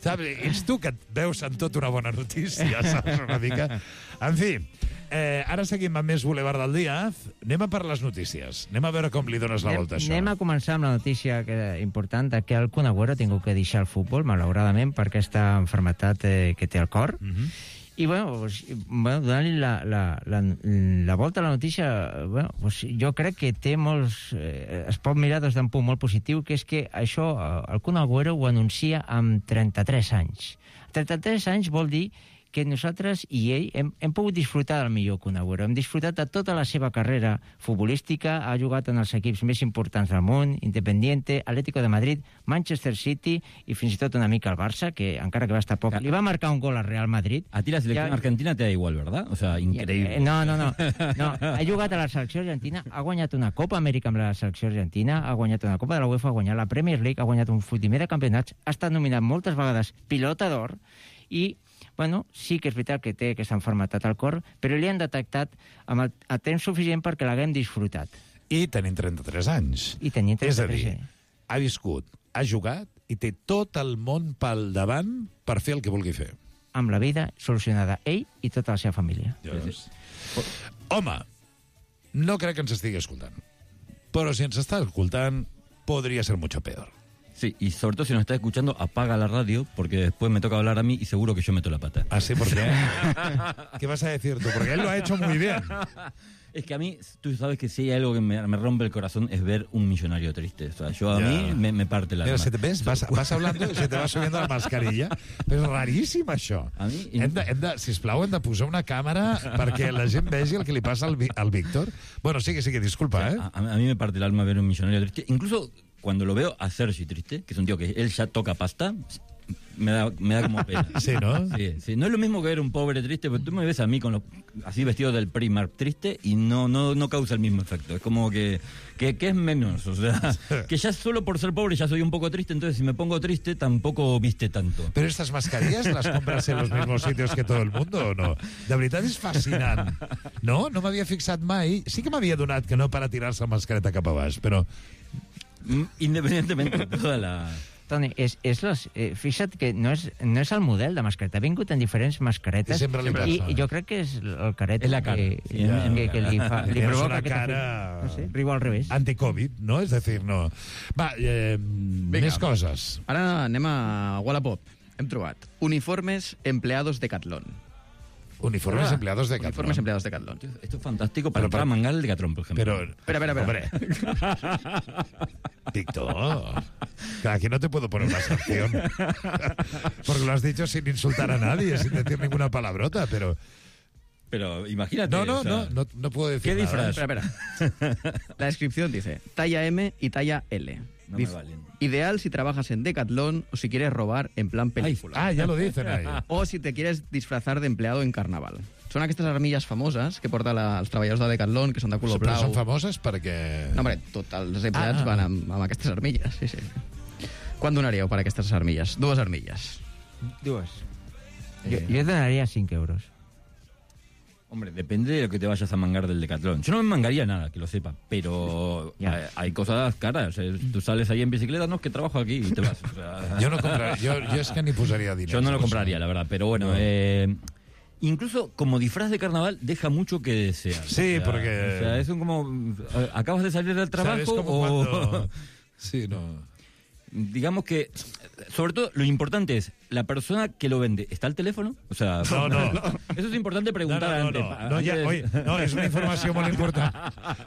Saps? Ets tu que et veus en tot una bona notícia, saps? Una mica... En fi, ara seguim amb més Boulevard del Dia. Anem a per les notícies. Anem a veure com li dones la volta a això. Anem a començar amb la notícia important que el Kun Agüero ha tingut que deixar el futbol, malauradament, per aquesta enfermetat que té al cor. I, donant-li la volta a la notícia, jo crec que té molts... es pot mirar des d'un punt molt positiu, que és que això, el Kun Agüero ho anuncia amb 33 anys. 33 anys vol dir que nosaltres i ell hem pogut disfrutar del millor Kun Agüero. Hem disfrutat de tota la seva carrera futbolística, ha jugat en els equips més importants del món, Independiente, Atlético de Madrid, Manchester City i fins i tot una mica al Barça, que encara que va estar poc... Li va marcar un gol al Real Madrid. A ti la selecció argentina te da igual, ¿verdad? O sea, increïble. No. Ha jugat a la selecció argentina, ha guanyat una Copa Amèrica amb la selecció argentina, ha guanyat una Copa de la UEFA, ha guanyat la Premier League, ha guanyat un fotimer de campionats, ha estat nominat moltes vegades pilota d'or i sí que és veritat que té aquesta enfermetat al cor, però li han detectat a temps suficient perquè l'haguem disfrutat. I tenint 33 anys. És a dir, ha viscut, ha jugat i té tot el món pel davant per fer el que vulgui fer. Amb la vida solucionada, ell i tota la seva família. Home, no crec que ens estigui escoltant, però si ens està escoltant, podria ser mucho peor. Sí, y sobre todo si nos está escuchando, apaga la radio, porque después me toca hablar a mí y seguro que yo meto la pata. ¿Ah, sí? ¿Por qué? ¿Qué vas a decir tú? Porque él lo ha hecho muy bien. Es que a mí, tú sabes que si hay algo que me rompe el corazón es ver un millonario triste. O sea, yo a mí me parte la alma. Pero ¿ves? Vas hablando y se te va subiendo la mascarilla. Però és raríssim, això. A mi... Sisplau, hem de posar una càmera perquè la gent vegi el que li passa al Víctor. Bueno, sí, disculpa, ¿eh? A mí me parte el alma ver un millonario triste. Incluso... Cuando lo veo a Sergi triste, que es un tío que él ya toca pasta, me da como pena. Sí, ¿no? Sí. No es lo mismo que ver un pobre triste, porque tú me ves a mí así vestido del Primark triste y no causa el mismo efecto. Es como que es menos. O sea, que ya solo por ser pobre ya soy un poco triste, entonces si me pongo triste tampoco viste tanto. Pero estas mascarillas las compras en los mismos sitios que todo el mundo, ¿o no? De veritat és fascinant. No m'havia fixat mai. Sí que m'havia donat que no para tirar-se la mascareta cap a baix, però... Independientemente de toda la... Toni, fixa't que no és el model de mascareta. Ha vingut en diferents mascaretes i jo crec que és el caret és la cara. Que li provoca aquesta... cara... No sé, riu al revés. Anti-Covid, ¿no? És a dir, no... Va, més coses. Ara anem a Wallapop. Hem trobat uniformes empleados Decathlon. Uniformes empleados de Decathlon. Uniformes empleados de Decathlon. Esto es fantástico para entrar a mangar el Decathlon, por ejemplo. Espera. Hombre. Víctor, aquí no te puedo poner una sanción. Porque lo has dicho sin insultar a nadie, sin decir ninguna palabrota, pero... Pero imagínate... No puedo decir ¿qué nada. disfraz? Espera. La descripción dice, talla M y talla L. No me valen. Ideal si trabajas en Decathlon o si quieres robar en plan película. Ya lo dicen ahí. O si te quieres disfrazar de empleado en carnaval. Són aquestes armilles famoses que porten els treballadors de Decathlon, que són de color blau. Però són famoses perquè... No, hombre, tots els empleats van amb aquestes armilles, sí. Quant donaríeu per aquestes armilles? 2 armilles. 2. Jo donaria 5 euros. Hombre, depende de lo que te vayas a mangar del Decathlon. Yo no me mangaría nada, que lo sepa, pero hay cosas caras. Tú sales ahí en bicicleta, no, es que trabajo aquí y te vas. O sea... Yo no compraría, yo es que ni posaría dinero. Yo no lo compraría, la verdad, pero bueno... No. Incluso como disfraz de carnaval deja mucho que desear. Sí, porque... O sea, es como... ¿Acabas de salir del trabajo ¿Sabes? Como o...? cuando... Sí, no... digamos que, sobre todo, lo importante es, la persona que lo vende, ¿está al teléfono? O sea, no. Eso es importante preguntar antes. No, és una informació molt important.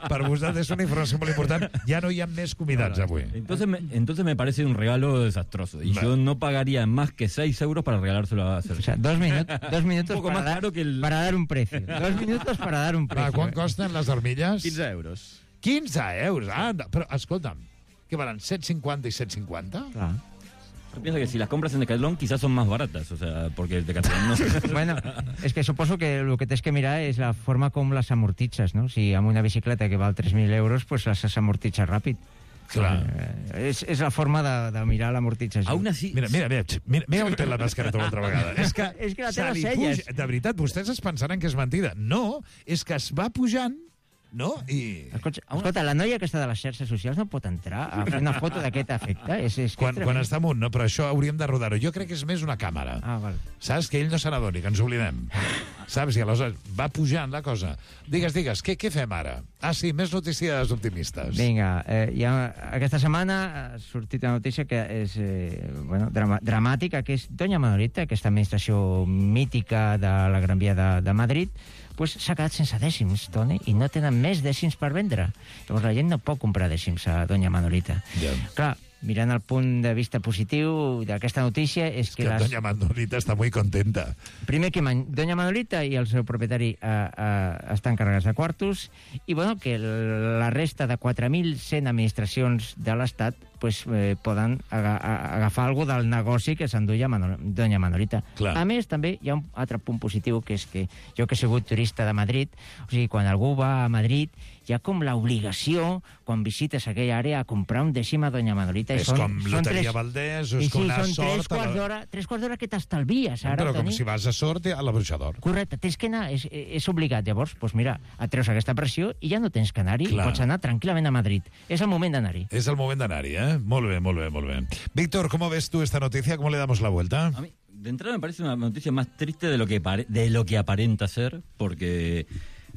Per vosaltres és una informació molt important. Ya no hi ha més convidats avui. Entonces me parece un regalo desastroso. Y yo no pagaría más que 6 euros para regalárselo a Sergi. O sea, 2 minutos un poco más caro que para dar un precio. 2 minutos para dar un precio. ¿Cuánto costen les armilles? 15 euros. 15 euros, però escolta'm, que valen 7,50 y 7,50? Clar. Yo pienso que si las compras en Decathlon quizás son más baratas, o sea, porque el Decathlon no... Bueno, és que suposo que el que tens que mirar és la forma com les amortitzes, no? Si amb una bicicleta que val 3.000 euros, pues les amortitzes ràpid. Clar. És la forma de mirar l'amortització. Aún así... Mira on té la mascareta l'altra vegada. És que la té les celles. De veritat, vostès es pensaran que és mentida. No, és que es va pujant, no? I... Escolta, la noia aquesta de les xarxes socials no pot entrar a fer una foto d'aquest efecte. Quan està amunt, no? Però això hauríem de rodar-ho. Jo crec que és més una càmera. Ah, val. Saps? Que ell no se n'adoni, que ens oblidem. Saps? I aleshores va pujant la cosa. Digues, què fem ara? Ah, sí, més notícies optimistes. Vinga, aquesta setmana ha sortit una notícia que és dramàtica, que és Doña Manolita, aquesta administració mítica de la Gran Via de Madrid, pues s'ha quedat sense dècims, Toni, i no tenen més dècims per vendre. Llavors la gent no pot comprar dècims a Doña Manolita. Yeah. Clar, mirant el punt de vista positiu d'aquesta notícia és que Doña Manolita està molt contenta. Primer que Doña Manolita i el seu propietari estan carregats de quartos i bueno, que la resta de 4.100 administracions de l'Estat pues, poden agafar alguna del negoci que s'enduia Doña Manolita. Clar. A més, també hi ha un altre punt positiu, que és que jo que he sigut turista de Madrid, o sigui, quan algú va a Madrid, hi ha com l'obligació, quan visites aquella àrea, a comprar un dècim a Doña Manolita. És com Loteria Valdés, és com una sort... Són 3 quarts d'hora que t'estalvies, ara, però com Toni. si vas a sort a la Bruixa d'Or. Correcte, tens que anar, és obligat. Llavors, doncs mira, et treus aquesta pressió i ja no tens que anar-hi, pots anar tranquil·lament a Madrid. És el moment d'anar-hi. És el moment d'anar-hi, ¿eh? Molt bé. Víctor, ¿cómo ves tú esta noticia? ¿Cómo le damos la vuelta? A mí, de entrada me parece una noticia más triste de lo que aparenta ser, porque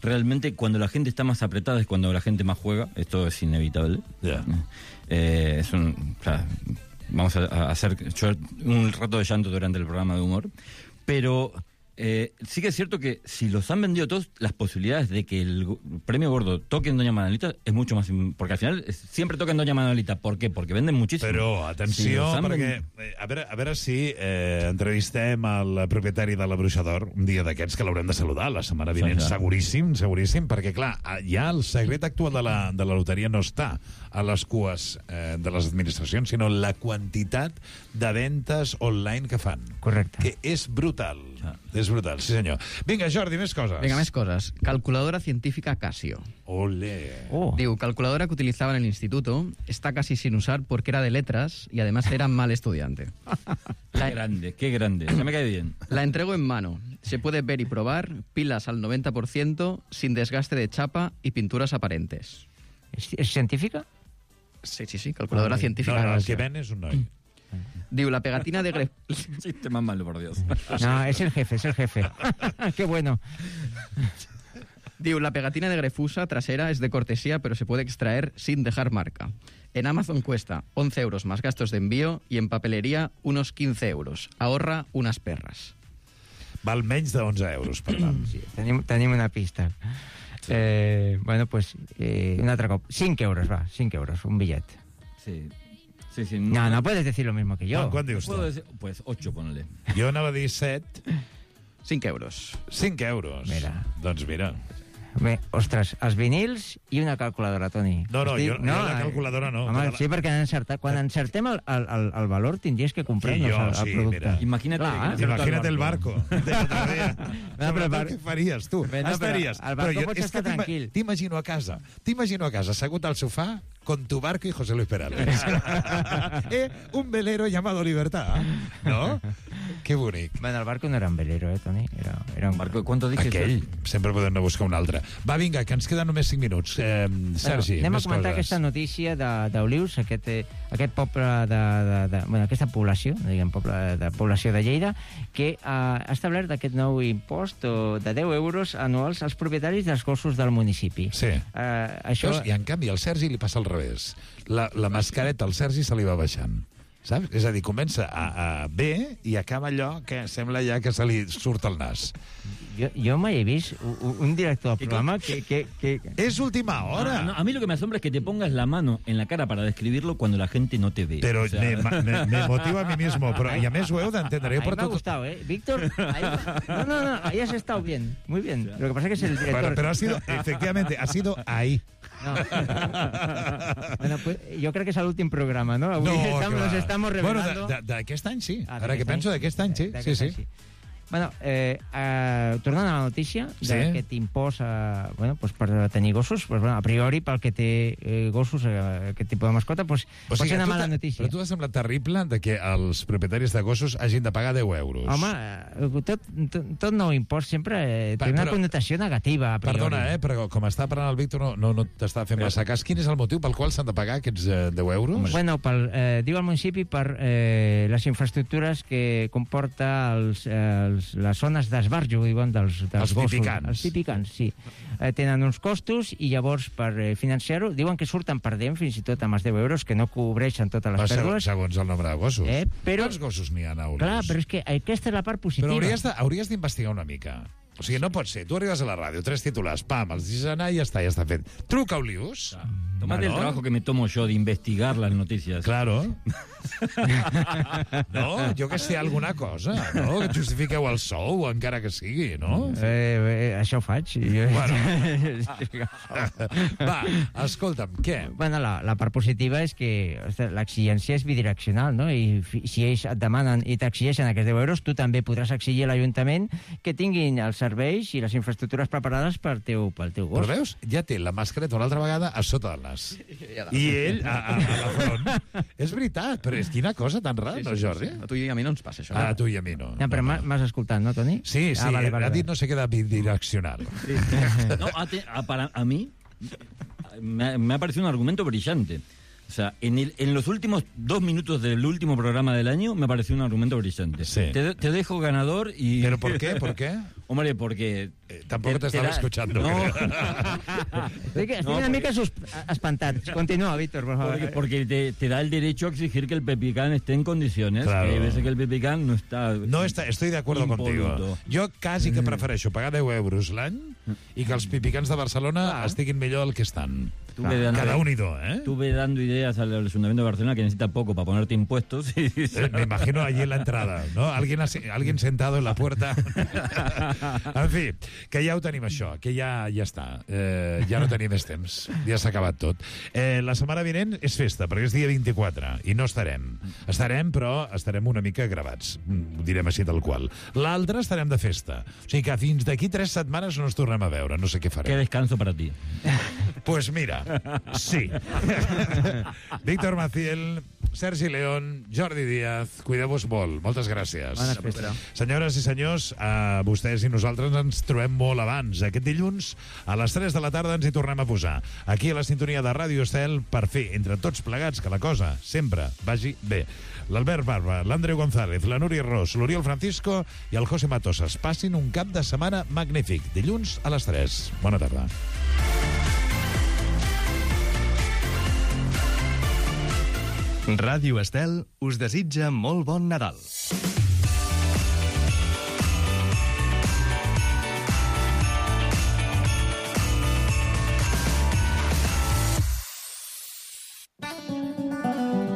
realmente cuando la gente está más apretada es cuando la gente más juega. Esto es inevitable. Yeah. Vamos a hacer un rato de llanto durante el programa de humor, pero sí que es cierto que si los han vendido todos, las posibilidades de que el premio gordo toque en Doña Manolita es mucho más... Porque al final siempre toca en Doña Manolita. ¿Por qué? Porque venden muchísimo. Però, atenció, perquè... A veure si entrevistem el propietari de la Bruixa d'Or un dia d'aquests que l'haurem de saludar la setmana vinent, seguríssim, perquè, clar, ja el secret actual de la loteria no està a les cues de les administracions, sinó la quantitat de ventes online que fan. Correcte. Que és brutal. És brutal, sí senyor. Vinga, Jordi, més coses. Venga, més coses. Calculadora científica Casio. Ole. Digo, calculadora que utilizaba en el instituto, está casi sin usar porque era de letras y además era mal estudiante. Qué grande. Se me cae bien. La entrego en mano. Se puede ver y probar, pilas al 90%, sin desgaste de chapa y pinturas aparentes. ¿Es científica? Sí, calculadora científica. No, el que ven és un noi. Digo, la pegatina de Chiste más malo, por Dios. No, es el jefe. Qué bueno. Digo, la pegatina de Grefusa trasera es de cortesía, pero se puede extraer sin dejar marca. En Amazon cuesta 11 euros más gastos de envío y en papelería unos 15 euros. Ahorra unas perras. Val menys de 11 euros, per tant. Sí, tenim una pista. Bueno, pues, un altre cop. 5 euros, va, 5 euros, un billet. Sí. No puedes decir lo mismo que yo. ¿Cuánto dius tu? Pues 8, ponle. Jo anava a dir 7. 5 euros. 5 euros. Mira. Doncs mira. Bé, ostres, els vinils i una calculadora, Toni. No, jo la calculadora no. Home, sí, perquè quan encertem el valor tindries que comprar-nos el producte. Mira. Imagina't el barco. Què faries, tu? Estaries. El barco pots estar tranquil. T'imagino a casa, assegut al sofà, con tu barco y José Luis Perales. Un velero llamado Libertad, ¿no? Que bonic. Bueno, el barco no era un velero, Toni? Era un barco. ¿Cuánto dices? Aquell. Sempre podem anar a buscar un altre. Va, vinga, que ens queden només 5 minuts. Sergi, anem a més comentar coses. aquesta notícia d'Olius, aquest poble bueno, aquesta població, diguem, població de Lleida, que ha establert aquest nou impost de 10 euros anuals als propietaris dels gossos del municipi. Sí. Això... I en canvi al Sergi li passa al revés. La mascareta al Sergi se li va baixant. Saps? És a dir, comença bé i acaba allò que sembla ja que se li surt el nas. Yo me he visto un director del programa que... Es última hora. No, a mí lo que me asombra es que te pongas la mano en la cara para describirlo cuando la gente no te ve. Pero o sea... me motiva a mí mismo. Pero, y a més ho heu d'entendre. Me ha gustado, ¿eh? Víctor, no, ahí has estado bien. Muy bien. Lo que pasa es que es el director. Pero ha sido, efectivamente, ha sido ahí. No. Bueno, pues, jo crec que és l'últim programa, no? Avui nos estamos revelando... Bueno, d'aquest any sí. Ara que penso, d'aquest any sí. Sí. Bueno, tornant a la notícia d'aquest impost pues per tenir gossos, pues, bueno, a priori pel que té gossos, aquest tipus de mascota, pues, pot ser una mala notícia. Però tu t'ha semblat terrible de que els propietaris de gossos hagin de pagar 10 euros. Home, tot nou impost sempre té una connotació negativa, a priori. Perdona, però com està parlant el Víctor no t'està fent massa cas. Quin és el motiu pel qual s'han de pagar aquests 10 euros? Bueno, diu el municipi per les infraestructures que comporta les zones d'esbarjo, diuen, dels gossos. Els pipicans, sí. Tenen uns costos i llavors per financiar-ho diuen que surten perdent fins i tot amb els 10 euros, que no cobreixen totes les pèrdues. Segons el nombre de gossos. Quants gossos n'hi ha, Aules? Clar, però és que aquesta és la part positiva. Però hauries d'investigar una mica. O sigui, no pot ser. Tu arribes a la ràdio, 3 titulars, pam, els deixes anar i ja està fet. Truca, Olius. Tomate el trabajo que me tomo yo de investigar las noticias. Claro. No, jo que sé, alguna cosa, no? Que justifiqueu el sou, encara que sigui, no? Això ho faig. Bueno. Va, escolta'm, què? Bueno, la part positiva és que l'exigència és bidireccional, no? I si ells et demanen i t'exigeixen aquests 10 euros, tu també podràs exigir a l'Ajuntament que tinguin els serveis i les infraestructures preparades pel teu gos. Però veus? Ja té la mascareta una altra vegada a sota del nas. I ell a la front. És veritat, però és quina cosa tan rara, no, Jordi? A tu i a mi no ens passa això. A tu i a mi no. Però m'has escoltat, no, Toni? Sí, ha dit no sé què de bidireccional. No, a mí me ha parecido un argumento brillante. O sea, en los últimos 2 minutos del último programa del año me pareció un argumento brillante. Sí. Te dejo ganador y... ¿Pero por qué? ¿Por qué? Hombre, porque... Tampoco te estaba escuchando. No. Estic una mica espantat. Continúa, Víctor, por favor. Porque te da el derecho a exigir que el Pepicán esté en condiciones. Claro. Que hay veces que el Pepicán no está... Estoy de acuerdo contigo. Jo quasi que prefereixo pagar 10 euros l'any i que els pipicans de Barcelona estiguin millor del que estan. Cada un y dos, ¿eh? Estuve dando ideas al Ayuntamiento de Barcelona que necesita poco para ponerte impuestos. Me imagino allí en la entrada, ¿no? Alguien sentado en la puerta. En fi, que ja ho tenim això, que ja està. Ja no tenim més temps, ja s'ha acabat tot. La setmana vinent és festa, perquè és dia 24, i no estarem. Estarem, però estarem una mica gravats, ho direm així tal qual. L'altre estarem de festa. O sigui que fins d'aquí 3 setmanes no ens tornem a veure, no sé què farem. Qué descanso para ti. Pues mira, sí. Víctor Maciel, Sergi León, Jordi Díaz, cuideu-vos molt. Moltes gràcies. Bona festa. Senyores i senyors, vostès i nosaltres ens trobem molt abans. Aquest dilluns, a les 3 de la tarda, ens hi tornem a posar. Aquí a la sintonia de Ràdio Estel, per fer, entre tots plegats, que la cosa sempre vagi bé. L'Albert Barba, l'Andreu González, la Núria Ros, l'Oriol Francisco i el José Matosas. Passin un cap de setmana magnífic. Dilluns a les 3. Bona tarda. Ràdio Estel us desitja molt bon Nadal.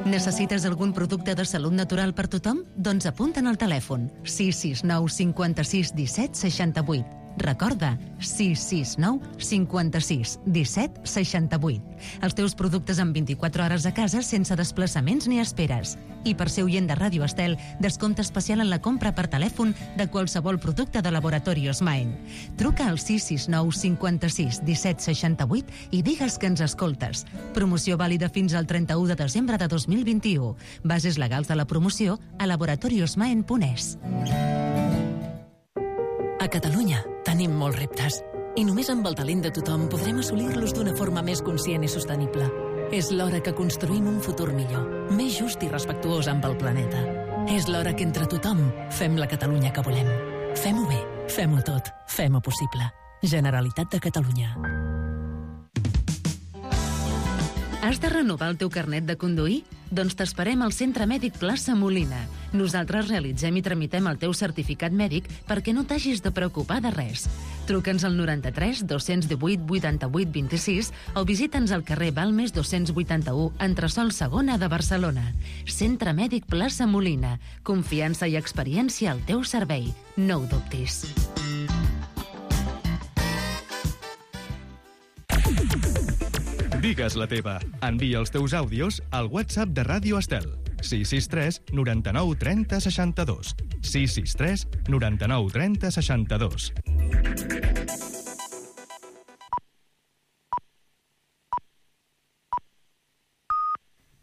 Necessites algun producte de salut natural per tothom? Doncs apunta'n al telèfon 669 56 17 68. Recorda, 669 56 17 68. Els teus productes en 24 hores a casa sense desplaçaments ni esperes. I per ser oient de Ràdio Estel, descompte especial en la compra per telèfon de qualsevol producte de Laboratorios Maen. Truca al 669 56 17 68 i digues que ens escoltes. Promoció vàlida fins al 31 de desembre de 2021. Bases legals de la promoció a laboratoriosmaen.es. A Catalunya tenim molts reptes i només amb el talent de tothom podrem assolir-los d'una forma més conscient i sostenible. És l'hora que construïm un futur millor, més just i respectuós amb el planeta. És l'hora que entre tothom fem la Catalunya que volem. Fem-ho bé, fem-ho tot, fem-ho possible. Generalitat de Catalunya. Has de renovar el teu carnet de conduir? Doncs t'esperem al Centre Mèdic Plaça Molina. Nosaltres realitzem i tramitem el teu certificat mèdic perquè no t'hagis de preocupar de res. Truca'ns al 93 218 88 26 o visita'ns al carrer Balmes 281, entresòl Segona de Barcelona. Centre Mèdic Plaça Molina. Confiança i experiència al teu servei. No ho dubtis. Digues la teva. Envia els teus àudios al WhatsApp de Ràdio Estel. 663 99 30 62. 663 99 30 62.